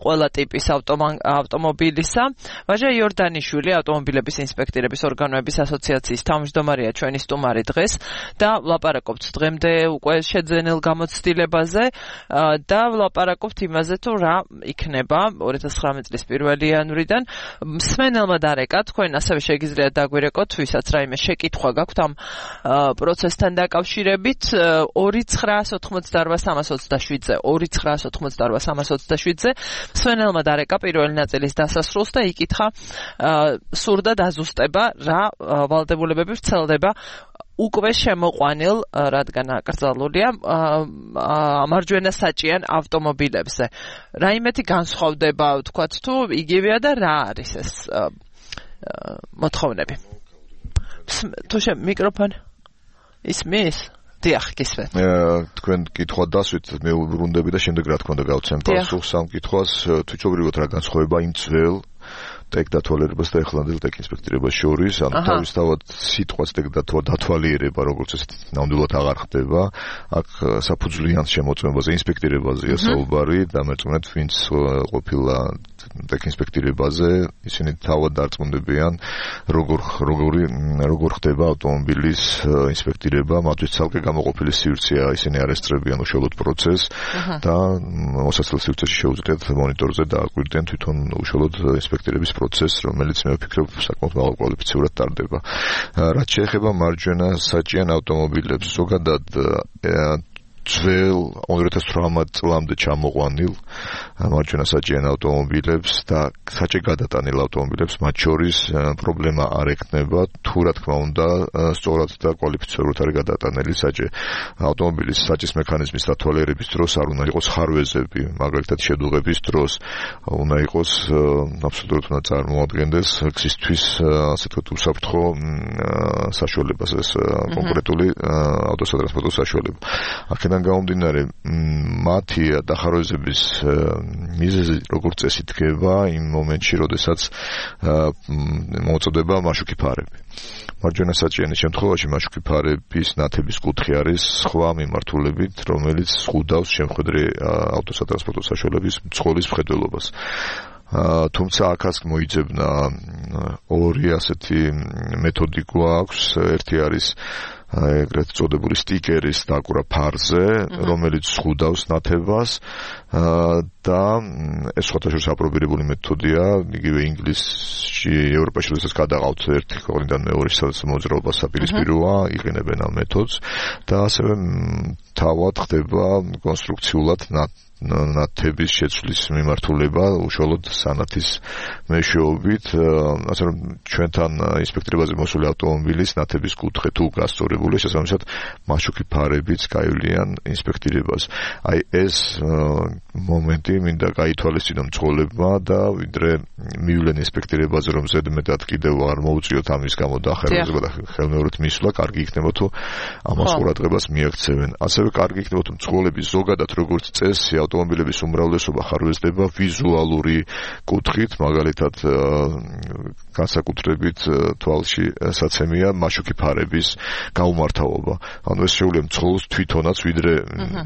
ყველა ტიპის ავტომობილისა. ვაჟა იორდანიშვილი ავტომობილების ინსპექტირების ორგანოების ასოციაციის თავმჯდომარეა ჩვენი სტუმარი დღეს და ვლაპარაკობთ დღემდე უკვე შეძენილ გამოცდილებაზე და ვლაპარაკობთ იმაზე, თუ რა იქნება 2019 წლის 1 იანვრიდან. მსმენელმა დარეკა, თქვენ ასევე შეგიძლიათ დაგვირეკოთ, ვისაც რაიმე შეკითხვა გაქვთ ამ პროცესთან დაკავშირებით 2988327-ზე 2988327-ზე მსმენელმა დარეკა პირველი ნაწილის დასასრულს და იკითხა სურდა დაზუსტება რა ვალდებულებები ვრცელდება უკვე შემოყვანილ, რადგან აკრძალულია მარჯვენა საჭიან ავტომობილებზე. რაიმეთი განსხვავდება, ვთქვათ, თუ იგივეა და რა არის ეს მოთხოვნები. თუ მიკროფონი ისმის? დიახ, გისმენთ. თქვენ კითხვა დასვით, მე ვბრუნდები და შემდეგ რა თქმა უნდა გავცემ პასუხს ამ კითხვას. თვითობრივად რა განსხვავება იმ ძველ ტექ დათვალიერებას და ეხლანდელ ტექ ინსპექტირებას შორის, ანუ თავისთავად სიტყვას ტექ დათვალიერება, როგორც ეს ნამდვილად აღარ ხდება. აქ საფუძვლიან შემოწმებაზე, ინსპექტირებაზეა საუბარი, დამერწმუნეთ, ვინც ყოფილა ტექ ინსპექტირებაზე, ისინი თავად დარწმუნდებიან, როგორ ხდება ავტომობილის ინსპექტირება, მათთვის ცალკე გამოყოფილი სივრცეა, ისინი არ ესწრებიან უშუალოდ პროცესს და მოსაცდელ სივრცეში შეუძლიათ მონიტორზე დააკვირდნენ თვითონ უშუალოდ ინსპექტირების პროცესს, რომელიც მე ვფიქრობ საკმაოდ მაღალკვალიფიციური ტარდება. რაც შეეხება მარჯვენა საჭიან ავტომობილებს, ზოგადად ძველ 2018 წლამდე ჩამოყვანილ მარჯვენა საჭიან ავტომობილებს და საჭე გადატანილ ავტომობილებს მათ შორის პრობლემა არ ექნება, თუ რა თქმა უნდა სწორად და კვალიფიცირებულად არის გადატანილი საჭე. ავტომობილის საჭის მექანიზმის დათვალიერების დროს არ უნდა იყოს ხარვეზები, მაგალითად შედუღების დროს უნდა იყოს აბსოლუტურად უნდა წარმოადგენდეს გზისთვის ასე ვთქვათ უსაფრთხო საშუალებას, ეს კონკრეტული ავტოტრანსპორტის საშუალება. აქედან გამომდინარე, მათი დახარვეზების მიზეზი როგორც წესი დგება იმ მომენტში, როდესაც მოუწოდება მაშუკი ფარები. მარჯვენა საჭიანის შემთხვევაში მაშუკი ფარების ნათების კუთხე არის სხვა მიმართულებით, რომელიც ზღუდავს შემხედრე ავტოსატრანსპორტო საშუალების მძღოლის მხედველობას. თუმცა აქაც მოიძებნა ორი ასეთი მეთოდი გვაქვს, ერთი არის ეგრეთ წოდებული სტიკერის დაკვრა ფარზე, რომელიც ზღუდავს ნათებას და ეს სხვადასხვა აპრობირებული მეთოდია, იგივე ინგლისში, ევროპაში როდესაც გადაყავთ ერთი ქვეყნიდან მეორე, სადაც მოძრაობა საპირისპიროა, იყენებენ ამ მეთოდს და ასევე თავად ხდება კონსტრუქციულად ნათების შეცვლის მიმართულება უშუალოდ სანათის მეშვეობით, ასე რომ ჩვენთან ინსპექტირებაზე მოსული ავტომობილის ნათების კუთხე თუ გასწორებული, შესაბამისად მაშუკი ფარებიც გაივლიან ინსპექტირებას. აი ეს მომენტი მინდა გაითვალისწინო მძღოლებმა და ვიდრე მივლენ ინსპექტირებაზე, რომ ზედმეტად კიდევ არ მოუწიოთ ამის გამო დახერხება და ხელმეორედ მისვლა, კარგი იქნება თუ ამას ყურადღებას მიაქცევენ. ასევე ასევე კარგი იქნება თუ მძღოლების ზოგადად როგორც წესი ავტომობილების უმრავლესობა ხარვეზდება ვიზუალური კუთხით, მაგალითად განსაკუთრებით თვალში საცემია მაშუქი ფარების გაუმართავობა. ანუ ეს შეუძლია მძღოლს თვითონაც ვიდრე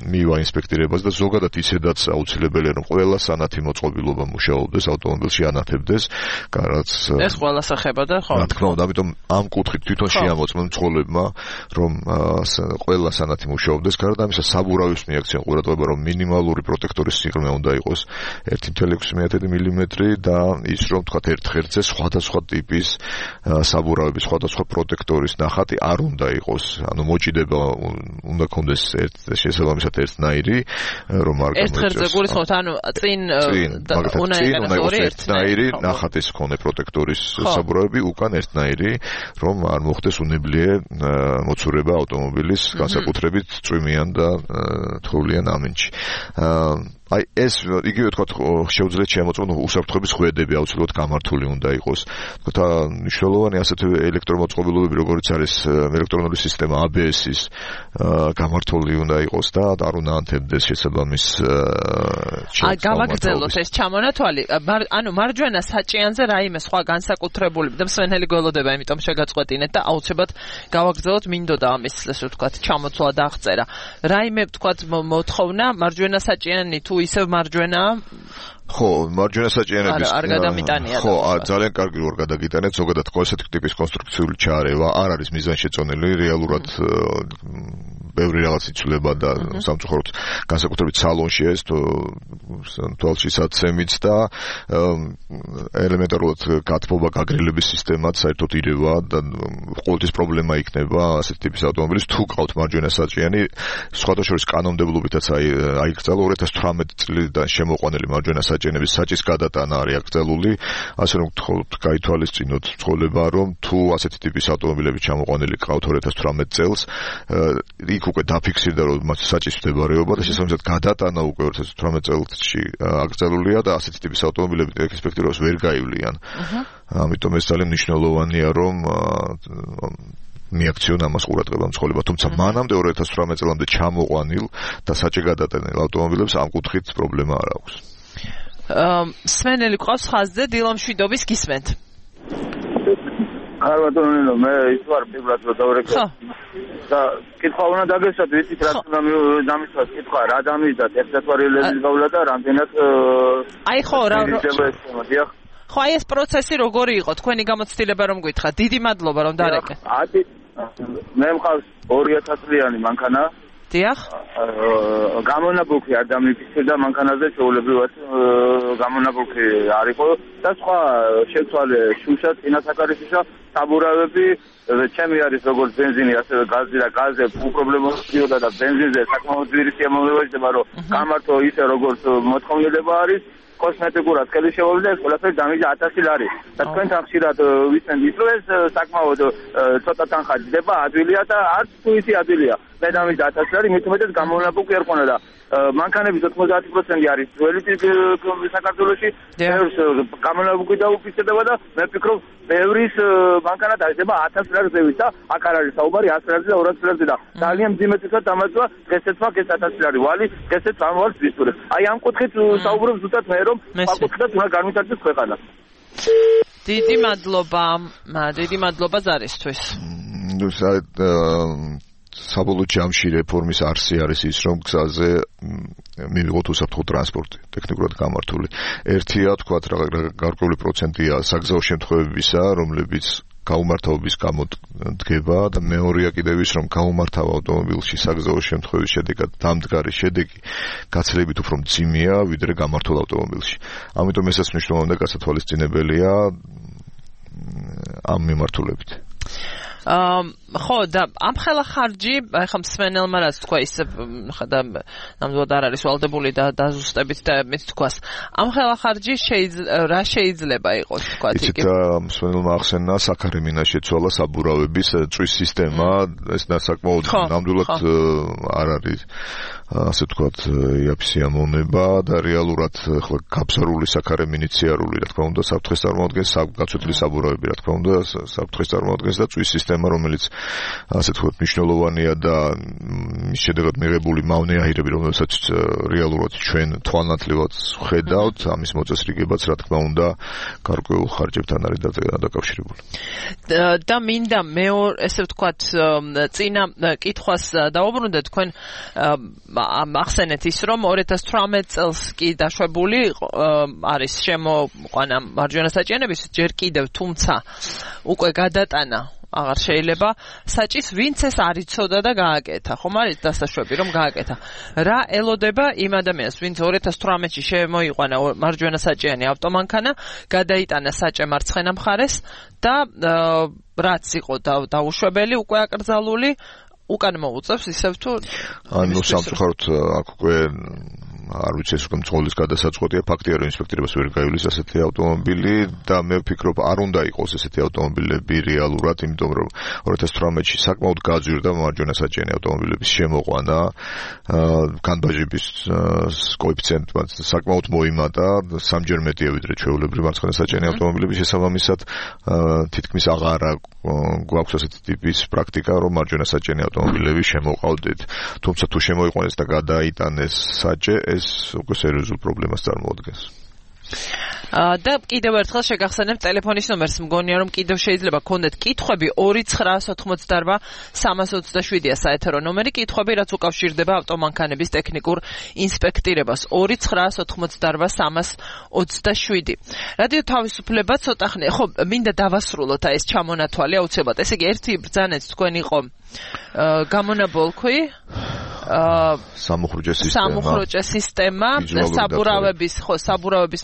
მივა ინსპექტირებას და ზოგადად ისედაც აუცილებელია რომ ყველა სანათი მოწყობილობა მუშაობდეს ავტომობილში ანათებდეს, რაც ეს ყველას ეხებოდა, ხო? რა თქმა უნდა, ამიტომ ამ კუთხით თვითონ შეამოწმონ მძღოლებმა რომ ყველა სანათი მუშაობდეს, გარდა ამისა საბურავის მიაქციან ყურადღება რომ მინიმალური პროტექტორის სიღრმე უნდა იყოს 1.6 მმ და ის რომ თქვა ერთ ღერძზე სხვადასხვა ტიპის საბურავების სხვადასხვა პროტექტორის ნახატი არ უნდა იყოს, ანუ მოჭიდება უნდა კონდეს შესაბამისად ერთნაირი, რომ არ გამოიწვიოს. ერთ ღერძზე გულისხმობთ, ანუ წინ უნდა იყოს ერთნაირი ნახატის მქონე პროტექტორის საბურავები, უკან ერთნაირი, რომ არ მოხდეს უნებლიე მოცურება ავტომობილის განსაკუთრებით წვიმიან და თოვლიან ამინჩი. აი ეს იგივე თქვა შეუძლიათ შემოწმონ უსაფრთხოების ხვედები აუცილებლად გამართული უნდა იყოს. თქვა მნიშვნელოვანი ასეთი ელექტრომოწყობილობები როგორც არის ელექტრონული სისტემა ABS-ის გამართული უნდა იყოს და არ უნდა ანთებდეს შესაბამის გავაგრძელოთ ეს ჩამონათვალი. ანუ მარჯვენა საჭიანზე რაიმე სხვა განსაკუთრებული და მსვენელი გველოდება, იმიტომ შეგაწყვეტინეთ და აუცილებლად გავაგრძელოთ, მინდოდა ამის ესე ვთქვათ ჩამოცვლა და აღწერა. რაიმე ვთქვათ მოთხოვნა მარჯვენა საჭიანი თუ ისევ მარჯვენა ხო, მარჯვენა საჭიანების არ გადამიტანია. ხო, ძალიან კარგი რომ გადაგიტანეთ, ზოგადად ესეთი ტიპის კონსტრუქციული ჩარევა არ არის მიზანშეწონილი, რეალურად ბევრი რაღაც იცვლება და სამწუხაროდ განსაკუთრებით სალონში ეს თვალში საცემიც და ელემენტარულად გათბობა გაგრილების სისტემაც საერთოდ ირევა და ყოველთვის პრობლემა იქნება ასეთი ტიპის ავტომობილის თუ ყავთ მარჯვენა საჭიანი, სხვადასხვა კანონმდებლობითაც აიკრძალა 2018 წლიდან შემოყვანილი მარჯვენა საჭიანების საჭის გადატანა არის აკრძალული, ასე რომ გთხოვთ გაითვალისწინოთ მძღოლება, რომ თუ ასეთი ტიპის ავტომობილები ჩამოყვანილი ყავთ 2018 წელს, იქ უკვე დაფიქსირდა რომ მათ საჭის მდებარეობა და შესაბამისად გადატანა უკვე 2018 წელსში აკრძალულია და ასეთი ტიპის ავტომობილები ინსპექტორებს ვერ გაივლიან. ამიტომ ეს ძალიან მნიშვნელოვანია რომ მიაქციონ ამას ყურადღება მძღოლება, თუმცა მანამდე 2018 წლამდე ჩამოყვანილ და საჭი გადატანილ ავტომობილებს ამ კუთხით პრობლემა არ აქვს. სვენელი ყავს ხაზზე დილამშვიდობის გისმენთ. არ ვატონინო, მე ის ვარ პირველად რომ დავრეკე. და კითხვა უნდა დაგესვათ, ვიცით რა უნდა დამისვათ კითხვა, რა დამისდათ ერთსათვარიელების გავლა და რამდენად აი ხო, რა ხო, აი ეს პროცესი როგორი იყო? თქვენი გამოცდილება რომ გითხრათ. დიდი მადლობა რომ დარეკე. მე მყავს 2000 წლიანი მანქანა. დიახ. გამონაბუქი არ დამიფიქსირდა მანქანაზე, შეულებრივად გამონაბუქი არ იყო და სხვა შეცვალე შუშა, წინასაკარისშა, საბურავები, ჩემი არის როგორც ბენზინი, ასევე გაზი და გაზზე პრობლემა ხდება და ბენზინზე საკმაოდ ძვირი შემოგვიჭდება, რომ გამართო ისე როგორც მოთხოვნილება არის. კოსმეტიკურად კელი შემოვიდა ეს ყველაფერი დამიჯა 1000 ლარი. და თქვენთან ხშირად ვიცენ ის რომ ეს საკმაოდ ცოტა თანხა ჯდება, ადვილია და არც თუ ისი ადვილია. მე დამიჯა 1000 ლარი, მით უმეტეს გამონაბუქი არ ხონა და მანქანების 90% არის ძველი საქართველოში. გამონაბუქი დაუფიქსირდება და მე ვფიქრობ ბევრის მანქანა დაიდება 1000 ლარზე და აქ არ არის საუბარი 100 ლარზე და 200 ლარზე და ძალიან მძიმეთითაც დამაწვა დღესაც მაგ ეს 1000 ლარი ვალი დღესაც ამოვარს ვისურვებ. აი ამ კუთხით საუბრობ ზუსტად მე რომ საკუთრად უნდა განვითარდეს ქვეყანა. დიდი მადლობა ზარისთვის. საბოლოო ჯამში რეფორმის არსი არის ის, რომ გზაზე მივიღოთ უსაფრთხო ტრანსპორტი, ტექნიკურად გამართული. ერთია, თქვათ, გარკვეული პროცენტია საგზაო შემთხვევებისა, რომლებიც გაუმართავობის გამო დგება და მეორეა კიდევ ის, რომ გაუმართავ ავტომობილში საგზაო შემთხვევის შედეგად დამდგარი შედეგი გაცილებით უფრო მძიმეა, ვიდრე გამართულ ავტომობილში. ამიტომ ესაც მნიშვნელოვანი და გასათვალისწინებელია ამ მიმართულებით. ხო და ამ ხელა ხარჯი ახლა მსმენელმა რაც თქვა ის ხა და ნამდვილად არ არის ვალდებული და დაზუსტებით და მეც თქვას ამ ხელა ხარჯი რა შეიძლება იყოს თქვა იქ მსმენელმა ახსენა საქარე მინა შეცვალა საბურავების წვის სისტემა ეს საკმაოდ ნამდვილად არ არის ასე ვთქვათ, იაფსი ამონება და რეალურად ახლა გაბზარული საქარე მინიციარული, რა თქმა უნდა, საფრთხეს წარმოადგენს, გაცვეთილი საბურავები, რა თქმა უნდა, საფრთხეს წარმოადგენს და წვის სისტემა, რომელიც ასე ვთქვათ, მნიშვნელოვანია და მის შედეგად მიღებული მავნე აირები, რომელსაც რეალურად ჩვენ თვალნათლივად ხედავთ, ამის მოწესრიგებაც, რა თქმა უნდა, გარკვეულ ხარჯებთან არის დაკავშირებული. და მინდა მეორე, ესე ვთქვათ, წინა კითხვას დავუბრუნდეთ, თქვენ ახსენეთ ის, რომ 2018 წელს კი დაშვებული არის შემოყვანა მარჯვენა საჭიანების, ჯერ კიდევ, თუმცა უკვე გადატანა აღარ შეიძლება საჭის ვინც ეს არ იცოდა და გააკეთა, ხომ არის დასაშვები რომ გააკეთა. რა ელოდება იმ ადამიანს, ვინც 2018-ში შემოიყვანა მარჯვენა საჭიანი ავტომანქანა, გადაიტანა საჭე მარცხენა მხარეს და რაც იყო დაუშვებელი, უკვე აკრძალული, უკან მოუწევს ისევ თუ ანუ სამწუხაროდ აქ უკვე არ ვიცი ეს უკვე მძღოლის გადასაწყვეტია, ფაქტია რომ ინსპექტორებს ვერ გაივლის ასეთი ავტომობილი და მე ვფიქრობ არ უნდა იყოს ესეთი ავტომობილები რეალურად, იმიტომ რომ 2018-ში საკმაოდ გაძვირდა მარჯვენა საჭიანი ავტომობილების შემოყვანა, განბაჟების კოეფიციენტმა საკმაოდ მოიმატა, სამჯერ მეტია ვიდრე ჩვეულებრივი მარცხენა საჭიანი ავტომობილების შესაბამისად, თითქმის აღარა გვაქვს ასეთი ტიპის პრაქტიკა, რომ მარჯვენა საჭიანი ავტომობილები შემოყავდეთ. თუმცა თუ შემოიყვანეს და გადაიტანეს საჭე, ეს უკვე სერიოზულ პრობლემას წარმოადგენს. და კიდევ ერთხელ შეგახსენებთ ტელეფონის ნომერს, მგონია რომ კიდევ შეიძლება გქონდეთ კითხვები 2988-327-ია საეთერო ნომერი, კითხვები რაც უკავშირდება ავტომანქანების ტექნიკურ ინსპექტირებას 2988-327. რადიო თავისუფლება ცოტა ხნე, ხო, მინდა დავასრულოთ ეს ჩამონათვალი აუცილებლად. ესე იგი ერთი ბრძანეთ თქვენ იყო გამონაბოლქვი სამუხრუჭე სისტემა და საბურავების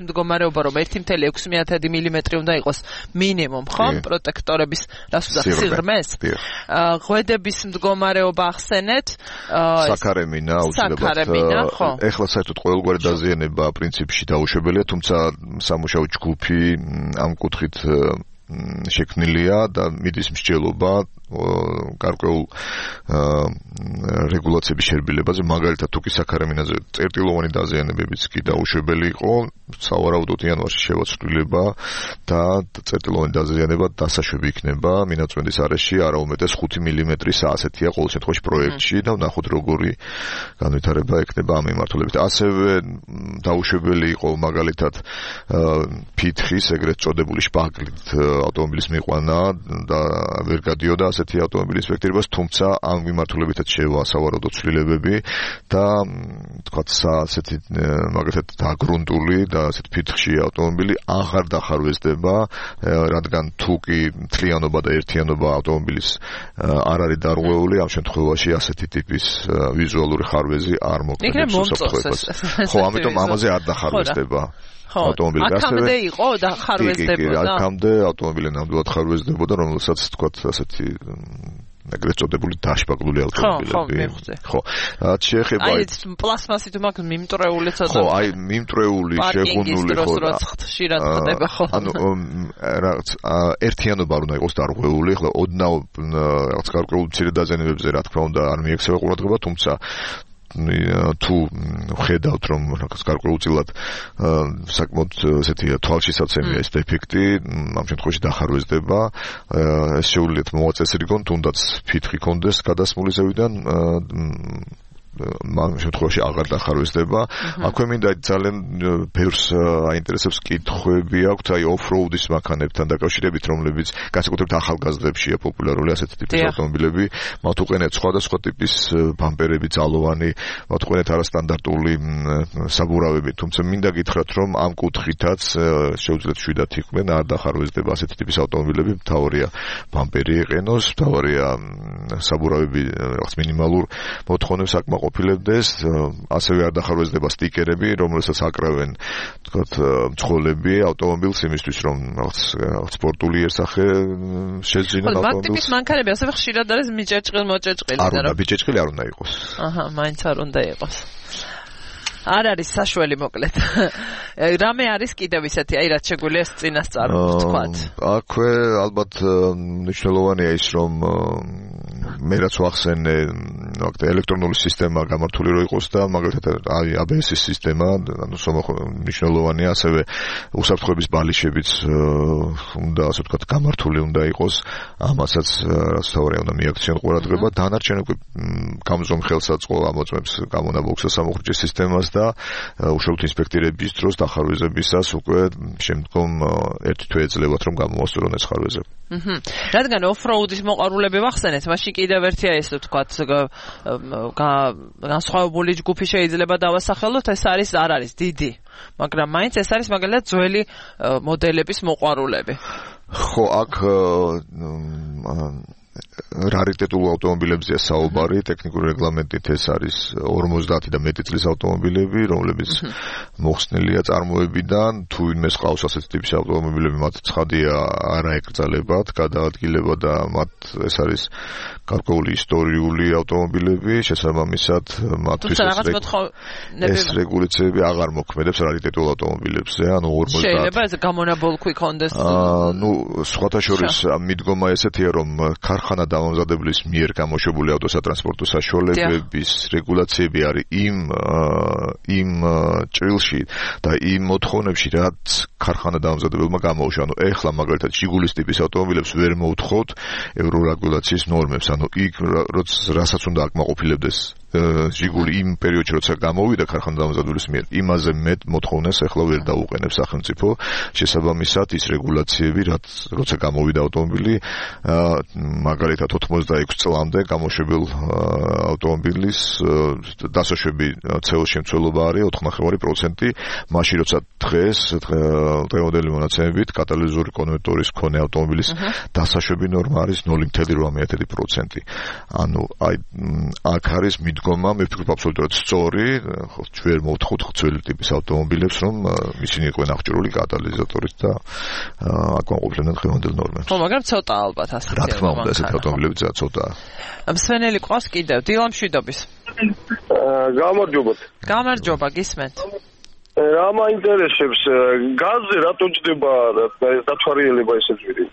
მდგომარეობა, რომ 1.6 მილიმეტრი უნდა იყოს მინიმუმ, ხო? პროტექტორების სიღრმეს. ღვედების მდგომარეობა ახსენეთ. საქარემინა აუცილებლად. ეხლა საერთოდ ყოველგვარი დაზიანება პრინციპში დაუშვებელია, თუმცა სამუშაო ჯგუფი ამ კუთხით შექმნილია და მიდის მსჯელობა გარკვეულ რეგულაციების შერბილებაზე, მაგალითად თუ კი საქარემინაზე წერტილოვანი დაზიანებებიც კი დაუშვებელი იყო, სავარაუდოდ იანვარში შევაცვლილება და წერტილოვანი დაზიანება დასაშვები იქნება მინაწვენდის არეში არაუმეტეს 5 მილიმეტრის ასეთია ყოველ შემთხვევაში პროექტში და ვნახოთ როგორი განვითარება ექნება ამ მიმართულებით. ასევე დაუშვებელი იყო მაგალითად ფითხის ეგრეთ წოდებული შპაგლით ავტომობილის მიყვანა და ვერ გადიოდა ასეთი ავტომობილის ინსპექტირებას, თუმცა ამ მიმართულებითაც შევასავარაუდო ცვლილებები და თქვათ ასეთი მაგალითად დაგრუნტული და ასეთ ფითხში ავტომობილი აღარ დახარვეზდება, რადგან თუ კი მთლიანობა და ერთიანობა ავტომობილის არ არის დარღვეული, ამ შემთხვევაში ასეთი ტიპის ვიზუალური ხარვეზი არ მოქმედებს უსაფრთხოებას. ხო, ამიტომ ამაზე არ დახარვეზდება. ავტომობილი აქამდე იყო და ხარვეზდებოდა. აქამდე ავტომობილი ნამდვილად ხარვეზდებოდა, რომელსაც თქვათ ასეთი ეგრეთ წოდებული დაშპაგლული ავტომობილები. ხო, რაც შეეხება აი პლასმასით მაგ მიმტრეული ცოტა. ხო, აი მიმტრეული, შეგუნული ხო. ხშირად ხდება ხო. ანუ რაღაც ერთიანობა არ უნდა იყოს დარღვეული, ხო, ოდნავ რაღაც გარკვეულ მცირე დაზიანებებზე რა თქმა უნდა არ მიექცევა ყურადღება, თუმცა თუ ხედავთ რომ რაღაც გარკვეულწილად საკმაოდ ესეთი თვალშისაცემია ეს დეფექტი, ამ შემთხვევაში დახარვეზდება, ეს შეუძლიათ მოაწესრიგონ, თუნდაც ფითხი კონდეს გადასმული ზევიდან ამ შემთხვევაში აღარ დახარვეზდება. აქვე მინდა ძალიან ბევრს აინტერესებს კითხვები აქვთ აი ოფროუდის მანქანებთან დაკავშირებით, რომლებიც განსაკუთრებით ახალგაზრდებშია პოპულარული ასეთი ტიპის ავტომობილები, მათ უყენებთ სხვადასხვა ტიპის ბამპერები, ძალოვანი, მათ უყენებთ არასტანდარტული საბურავები, თუმცა მინდა გითხრათ, რომ ამ კუთხითაც შეუძლიათ შვიდათ იყვნენ, არ დახარვეზდება ასეთი ტიპის ავტომობილები, მთავარია ბამპერი ეყენოს, მთავარია საბურავები რაღაც მინიმალურ მოთხოვნებს აკმაყოფილებდეს, ასევე არ დახარვეზდება სტიკერები, რომელსაც აკრავენ, თქვათ, მძღოლები ავტომობილს იმისთვის, რომ რაღაც სპორტული იერსახე შეძინონ ავტომობილს. მაგ ტიპის მანქანები ასევე ხშირად არის მიჭეჭყილ-მოჭეჭყილი. არ უნდა მიჭეჭყილი არ უნდა იყოს. აჰა, მაინც არ უნდა იყოს. არ არის საშველი მოკლედ. რამე არის კიდევ ისეთი, აი რაც შეგვიძლია წინასწარ ვთქვათ. აქვე ალბათ მნიშვნელოვანია ის, რომ მე რაც ვახსენე, ელექტრონული სისტემა გამართული რო იყოს და მაგალითად ABS-ის სისტემა, ანუ მნიშვნელოვანია, ასევე უსაფრთხოების ბალიშებიც უნდა, ასე ვთქვათ, გამართული უნდა იყოს, ამასაც რაც თავარია უნდა მიაქციონ ყურადღება, დანარჩენ უკვე გამზომ ხელსაწყო ამოწმებს გამონაბოლქვსა სამუხრჯის სისტემას და უშუალოდ ინსპექტირების დროს დახარვეზებისას უკვე შემდგომ ერთი თვე ეძლებათ რომ გამოვასწორონ ეს ხარვეზები. რადგან off-road-ის მოყვარულები ვახსენეთ, მაშინ კიდევ ერთია ეს ვთქვათ, განსხვავებული ჯგუფი შეიძლება დავასახელოთ, ეს არ არის დიდი, მაგრამ მაინც ეს არის მაგალითად ძველი მოდელების მოყვარულები. ხო, აქ რარიტეტულ ავტომობილებზეა საუბარი, ტექნიკური რეგლამენტით ეს არის 50 და მეტი წლის ავტომობილები, რომლებიც მოხსნილია წარმოებიდან, თუ ვინმეს ყავს ასეთ ტიპის ავტომობილები, მათ ცხადია არ აეკრძალებათ, გადაადგილება და მათ ეს არის გარკვეული ისტორიული ავტომობილები, შესაბამისად მათთვის ეს რეგულაციები აღარ მოქმედებს რარიტეტულ ავტომობილებზე, ანუ 50 შეიძლება ეს გამონაბოლქვი კონდეს. ნუ სხვათა შორის მიდგომა ესეთია, რომ ქარხანა დამამზადებლის მიერ გამოშვებული ავტოსატრანსპორტო საშუალებების რეგულაციები არის იმ ჭრილში და იმ მოთხოვნებში, რაც ქარხანა დამამზადებელმა გამოუშვა. ანუ ეხლა მაგალითად ჟიგულის ტიპის ავტომობილებს ვერ მოუთხოთ ევრორეგულაციის ნორმებს, ანუ იქ რასაც უნდა აკმაყოფილებდეს ჟიგული იმ პერიოდში, როცა გამოვიდა ქარხანა დამზადების მიერ, იმაზე მეტ მოთხოვნას ახლა ვერ დაუყენებს სახელმწიფო. შესაბამისად, ის რეგულაციები, როცა გამოვიდა ავტომობილი, მაგალითად 86 წლამდე გამოშვებელ ავტომობილის დასაშვები CO2 შემცველობა არის 4.5%, მაშინ როცა დღემდელი მონაცემებით კატალიზური კონვერტორის მქონე ავტომობილის დასაშვები ნორმა არის 0.8%. ანუ აქ არის მიდგომა, მე ვფიქრობ აბსოლუტურად სწორი, ჩვენ მოვთხოვთ ძველი ტიპის ავტომობილებს, რომ ისინი იყვნენ აღჭურვილი კატალიზატორით და აკმაყოფილებდნენ დღევანდელ ნორმებს. ხო, მაგრამ ცოტა ალბათ ასე. რა თქმა უნდა, ესეთი ავტომობილები ცოტაა. მსვენელი ყავს კიდევ დილამშვიდობის. გამარჯობა, გისმენთ. რა მაინტერესებს, გაზზე რატო ჯდება დათვალიერება ესე ძვირი?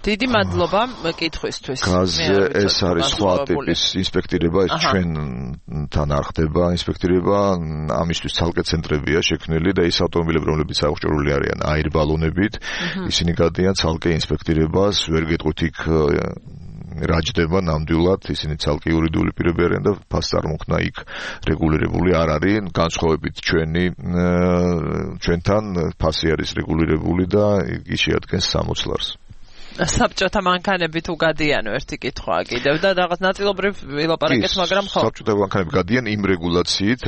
დიდი მადლობა კითხვისთვის. გაზზე ეს არის სხვა ტიპის ინსპექტირება, ეს ჩვენთან არ ხდება ინსპექტირება, ამისთვის ცალკე ცენტრებია შექმნილი და ის ავტომობილები, რომლებიც აღჭურვილი არიან აირბალონებით, ისინი გადიან ცალკე ინსპექტირებას, ვერ გეტყვით იქ რა ჯდება ნამდვილად, ისინი ცალკე იურიდიული პირები არიან და ფასს წარმოქმნა იქ რეგულირებული არ არის, განსხვავებით ჩვენთან ფასი არის რეგულირებული და იგი შეადგენს 60 ლარს. საბჭოთა მანქანები თუ გადიან ერთი კითხვაა კიდევ და რაღაც ნაწილობრივ ვილაპარაკეთ, მაგრამ ხო. საბჭოთა მანქანები გადიან იმ რეგულაციით,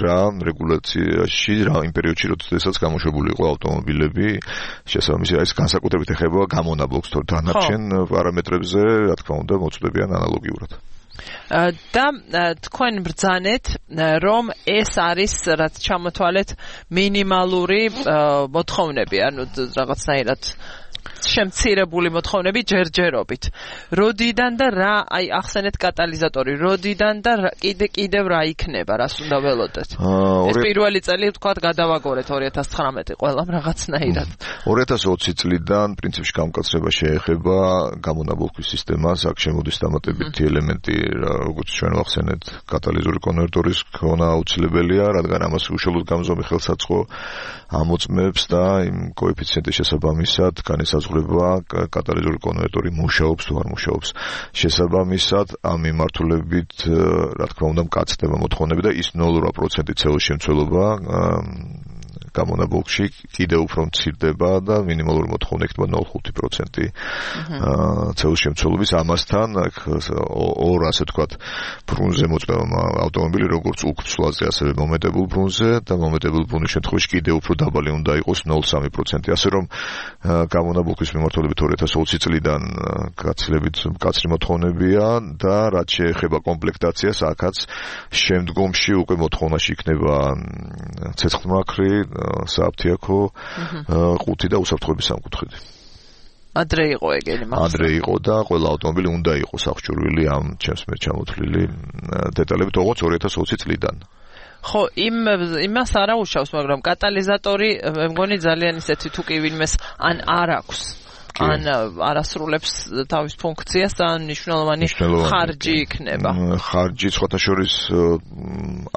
რეგულაციაში, იმ პერიოდში, როდესაც გამოშვებული იყო ავტომობილები, შესაბამისად ეს განსაკუთრებით ეხება გამონაბოლქვს, თორე დანარჩენ პარამეტრებზე, რა თქმა უნდა, მოწოდებიან ანალოგიურად. და თქვენ ბრძანეთ, რომ ეს არის, რაც ჩამოთვალეთ, მინიმალური მოთხოვნები, ანუ რაღაცნაირად შემცირებული მოთხოვნები ჯერჯერობით. როდიდან და რა, აი ახსენეთ კატალიზატორი, როდიდან და კიდევ რა იქნება, რას უნდა ველოდეთ? ეს პირველი წელი ვთქვათ გადავაგორეთ 2019 ყველამ რაღაცნაირად. 2020 წლიდან პრინციპში გამკაცრება შეეხება გამონაბოლქვის სისტემას, აქ შემოდის დამატებითი ელემენტი, როგორც ჩვენ ვახსენეთ, კატალიზური კონვერტორის ქონა აუცილებელია, რადგან ამას უშუალოდ გამზომი ხელსაწყო ამოწმებს და იმ კოეფიციენტის შესაბამისად განისაზღვრება კატალიზური კონვერტორი მუშაობს თუ არ მუშაობს. შესაბამისად ამ მიმართულებით რა თქმა უნდა მკაცდება მოთხოვნები და ის 0% CO2 შემცველობა გამონაბოლქვში კიდევ უფრო მცირდება და მინიმალური მოთხოვნა იქნება 0.5% CO2 შემცველობის. ამასთან ორ ასე ვთქვათ ბრუნზე მოწვევა ავტომობილი როგორც უკცვლაზე ასევე მომეტებულ ბრუნზე და მომეტებულ ბრუნის შემთხვევაში კიდევ უფრო დაბალი უნდა იყოს 0.3%. ასე რომ გამონაბოლქვის მიმართულებით 2020 წლიდან გაცილებით მკაცრი მოთხოვნებია და რაც შეეხება კომპლექტაციას, აქაც შემდგომში უკვე მოთხოვნაში იქნება ცეცხლმაქრი, სააფთიაქო, ყუთი და უსაფრთხოების სამკუთხედი. ადრე იყო ეგენი მახსოვს. ადრე იყო და ყველა ავტომობილი უნდა იყოს აღჭურვილი ამ ჩემს მიერ ჩამოთვლილი დეტალებით, როგორც 2020 წლიდან. ხო, იმას არ აუშავს, მაგრამ კატალიზატორი მე მგონი ძალიან ისეთი თუ კი ვინმეს ან არ აქვს. ან არასრულებს თავის ფუნქციას და მნიშვნელოვანი ხარჯი იქნება. ხარჯი სხვათა შორის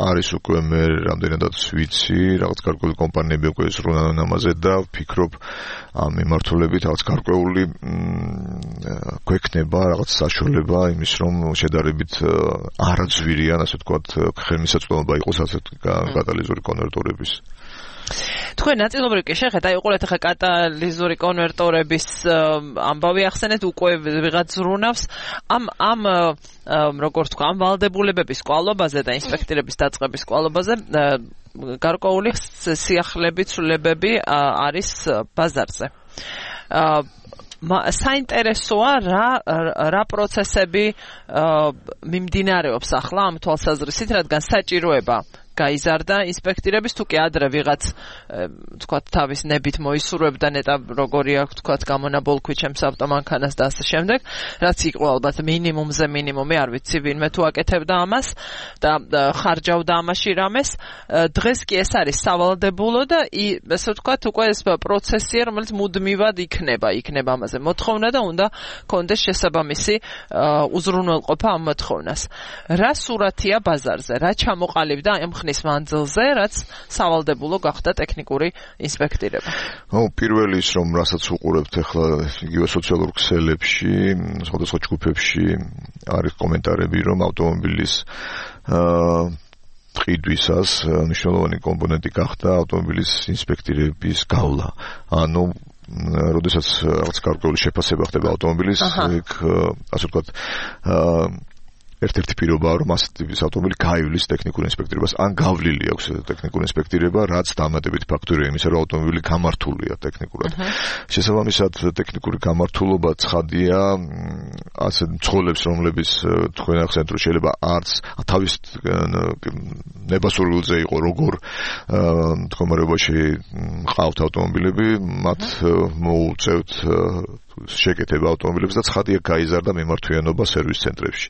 არის უკვე მე რამდენადაც ვიცი, რაღაც გარკვეული კომპანიები უკვე ზრუნავენ ამაზე და ვფიქრობ ამ მიმართულებით რაღაც გარკვეული გვექნება რაღაც საშუალება იმის რომ შედარებით არაძვირიან, ასე ვთქვათ, ხელმისაწვდომობა იყოს ასეთი კატალიზური კონვერტორების. თქვენ ნაწილობრივ კი შეხედეთ, აი უყურეთ ახლა კატალიზური კონვერტორების ამბავი ახსენეთ, უკვე ვიღაც ზრუნავს ამ როგორ თქვა, ამ ვალდებულებების კვალობაზე და ინსპექტირების დაწყების კვალობაზე გარკვეული სიახლეები, ცვლილებები არის ბაზარზე. საინტერესოა რა პროცესები მიმდინარეობს ახლა ამ თვალსაზრისით, რადგან საჭიროება გაიზარდა ინსპექტირების თუ კი ადრე ვიღაც თქვათ თავის ნებით მოისურვებდა ნეტა როგორი აქვს თქვათ გამონაბოლქვი ჩემს ავტომანქანას და ასე შემდეგ, რაც იყო ალბათ მინიმუმზე მინიმუმი, არ ვიცი ვინმე თუ აკეთებდა ამას და ხარჯავდა ამაში რამეს. დღეს კი ეს არის სავალდებულო და ესე ვთქვათ უკვე ეს პროცესია, რომელიც მუდმივად იქნება ამაზე მოთხოვნა და უნდა კონდეს შესაბამისი უზრუნველყოფა ამ მოთხოვნას. რა სურათია ბაზარზე, რა ჩამოყალიბდა ამ ხნის მანძილზე, რაც სავალდებულო გახდა ტექნიკური ინსპექტირება. პირველი ის რომ რასაც უყურებთ ახლა იგივე სოციალურ ქსელებში, სხვადასხვა ჯგუფებში არის კომენტარები, რომ ავტომობილის ყიდვისას მნიშვნელოვანი კომპონენტი გახდა ავტომობილის ინსპექტირების გავლა. ანუ როდესაც რაღაც გარკვეული შეფასება ხდება ავტომობილის, იქ ასე ვთქვათ ერთ-ერთი პირობაა, რომ ასეთი ტიპის ავტომობილი გაივლის ტექნიკურ ინსპექტირებას, ან გავლილი აქვს ტექნიკურ ინსპექტირება, რაც დამატებით ფაქტორია იმისა, რომ ავტომობილი გამართულია ტექნიკურად. შესაბამისად, ტექნიკური გამართულობა ცხადია, ასე მძღოლებს, რომლებიც თქვენ ახსენეთ, რომ შეიძლება არც თავის ნებასურვილზე იყო როგორ მდგომარეობაში ყავთ ავტომობილები, მათ მოუწევთ შეკეთება ავტომობილებს და ცხადია გაიზარდა მიმართვიანობა სერვის ცენტრებში.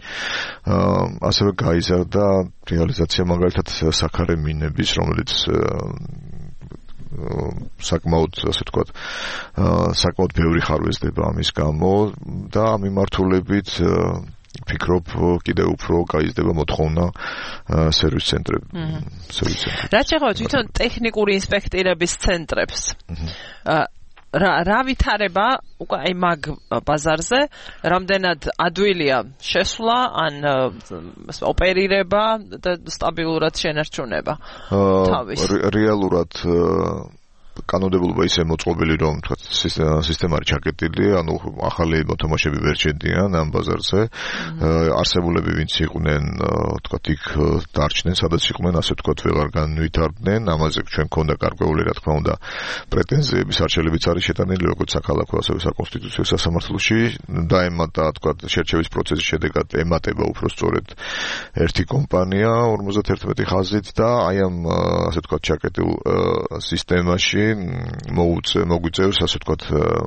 ასევე გაიზარდა რეალიზაცია მაგალითად საქარე მინების, რომელიც საკმაოდ, ასე ვთქვათ, საკმაოდ ბევრი ხარვეზდება ამის გამო და ამ მიმართულებით ვფიქრობ კიდევ უფრო გაიზრდება მოთხოვნა სერვის ცენტრებში. რაც შეეხება თვითონ ტექნიკური ინსპექტირების ცენტრებს. რა ვითარება უკვე აი მაგ ბაზარზე, რამდენად ადვილია შესვლა ან ოპერირება და სტაბილურად შენარჩუნება თავის. რეალურად კანონმდებლობა ისე მოწყობილი, რომ თქვა სისტემა არის ჩაკეტილი, ანუ ახალი მოთამაშეები ვერ შედიან ამ ბაზარზე. არსებულები ვინც იყვნენ, თქვა იქ დარჩნენ, სადაც იყვნენ, ასე თქვა ვეღარ განვითარდნენ. ამაზე ჩვენ გქონდა გარკვეული, რა თქმა უნდა, პრეტენზიების არჩელებიც არის შეტანილი, როგორც საქალაქო, ასევე საკონსტიტუციო სასამართლოში. დაემატა, თქვა, შერჩევის პროცესის შედეგად ემატება უფრო სწორედ ერთი კომპანია 51 ხაზით და აი ამ, ასე თქვა, ჩაკეტილ სისტემაში მოგვიწევს, ასე ვთქვათ,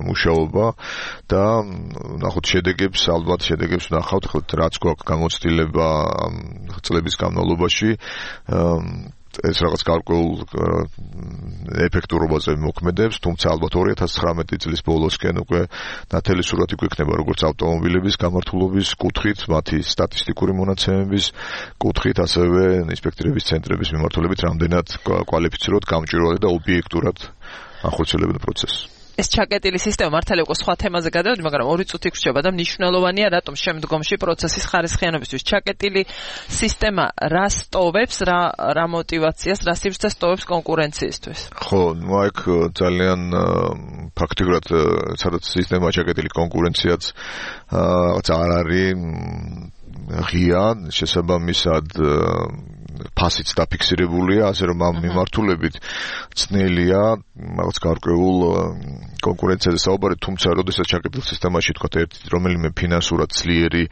მუშაობა და ნახოთ შედეგებს, ალბათ შედეგებს ვნახავთ, რაც გვაქვს გამოცდილება წლების განმავლობაში, ეს რაღაც გარკვეულ ეფექტურობაზე მოქმედებს, თუმცა ალბათ 2019 წლის ბოლოსკენ უკვე ნათელი სურათი გვექნება როგორც ავტომობილების გამართულობის კუთხით, მათი სტატისტიკური მონაცემების კუთხით, ასევე ინსპექტირების ცენტრების მიმართულებით, რამდენად კვალიფიცირებად, გამჭვირვალე და ობიექტურად ახორციელებენ პროცესს. ეს ჩაკეტილი სისტემა მართალი უკვე სხვა თემაზე გადავედი, მაგრამ 2 წუთი გრჩება და მნიშვნელოვანია რატომ შემდგომში პროცესის ხარისხიანობისთვის. ჩაკეტილი სისტემა რა სტოვებს, რა мотиваციას, რა სივრცეს სტოვებს კონკურენციისთვის? ხო, აქ ძალიან ფაქტიურად სადაც სისტემა ჩაკეტილი კონკურენციაც არ არის ღია, შესაბამისად ფასიც დაფიქსირებულია, ასე რომ ამ მიმართულებით ძნელია რაღაც გარკვეულ კონკურენციაზე საუბარი, თუმცა როდესაც ჩაკეტილ სისტემაში თქვა ერთი რომელიმე ფინანსურად ძლიერი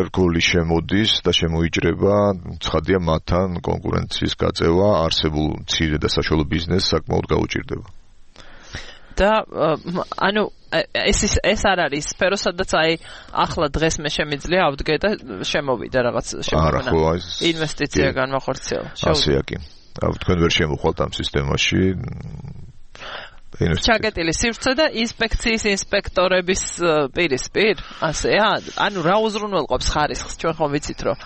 რგოლი შემოდის და შემოიჭრება, ცხადია მათთან კონკურენციის გაწევა არსებულ მცირე და საშუალო ბიზნესს საკმაოდ გაუჭირდება. და ანუ ეს არ არის სფერო, სადაც აი ახლა დღეს მე შემიძლია ავდგე და შემოვიდა რაღაც შემოვიდა ინვესტიცია განმახორციელა. ასეა კი. თქვენ ვერ შემოხვალთ ამ სისტემაში. ჩაკეტილი სივრცე და ინსპექციის ინსპექტორების პირისპირ, ასეა? ანუ რა უზრუნველყოფს ხარისხს? ჩვენ ხომ ვიცით, რომ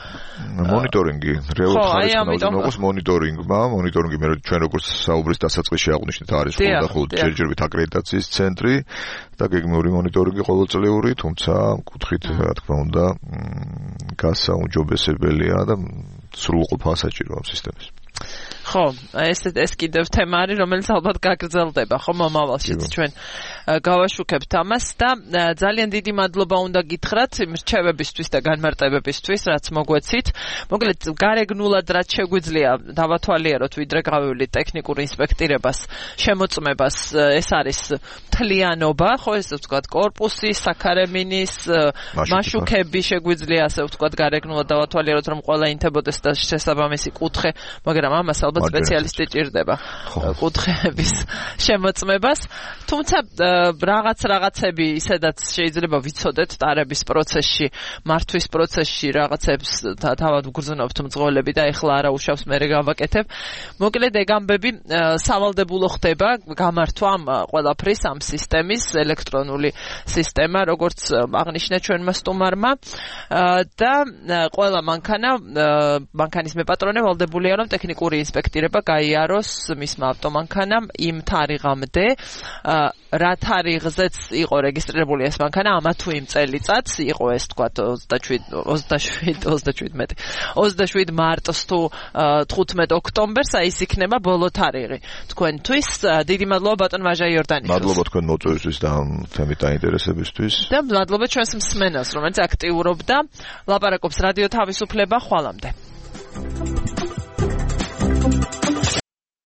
მონიტორინგი, რეალურად ხარისხს უზრუნველყოფს მონიტორინგი მე ჩვენ როგორც საუბრის დასაწყისში აღვნიშნეთ არის ხულდახულოდ ჯერჯერობით აკრედიტაციის ცენტრი და გეგმიური მონიტორინგი ყოველწლიური, თუმცა კუთხით რა თქმა უნდა გასაუმჯობესებელია და სრულყოფა საჭიროა სისტემის. ხო, ეს კიდევ თემა არის, რომელიც ალბათ გაგრძელდება, ხო, მომავალშიც ჩვენ გავაშუქებთ ამას და ძალიან დიდი მადლობა უნდა გითხრათ იმ რჩევებისთვის და განმარტებებისთვის, რაც მოგვეცით. მოკლედ, გარეგნულად რაც შეგვიძლია დავათვალიეროთ, ვიდრე გავივლით ტექნიკურ ინსპექტირებას, შემოწმებას, ეს არის მთლიანობა, ხო, ესე ვთქვათ, კორპუსი, საქარემინის, მაშუქები შეგვიძლია, ასე ვთქვათ, გარეგნულად დავათვალიეროთ, რომ ყველა ინთებოდეს და შესაბამისი კუთხე, მაგრამ ამას ალბათ სპეციალისტი ჭირდება კუთხეების შემოწმებას. თუმცა რაღაცები ისედაც შეიძლება ვიცოდეთ ტარების პროცესში, მართვის პროცესში რაღაცებს თავად ვგრძნობთ მძღოლები და ეხლა არა უშავს მე გავაკეთებ. მოკლედ ეგ ამბები სავალდებულო ხდება გამართვა ყველაფრის ამ სისტემის ელექტრონული სისტემა, როგორც აღნიშნა ჩვენმა სტუმარმა და ყველა მანქანის მეპატრონე ვალდებულია რომ ტექნიკური ინსპექტირება გაიაროს მისმა ავტომანქანამ იმ თარიღამდე, რა თარიღზეც იყო რეგისტრირებული ეს მანქანა, ამა თუ იმ წელიწადს იყო ეს თქვათ 27 მარტს თუ 15 ოქტომბერს, აი ეს იქნება ბოლო თარიღი თქვენთვის. დიდი მადლობა ბატონ ვაჟა იორდანიშვილს. მადლობა თქვენ მოწვევისთვის და ამ თემით დაინტერესებისთვის. და მადლობა ჩვენს მსმენელს, რომელიც აქტიურობდა. ლაპარაკობს რადიო თავისუფლება, ხვალამდე.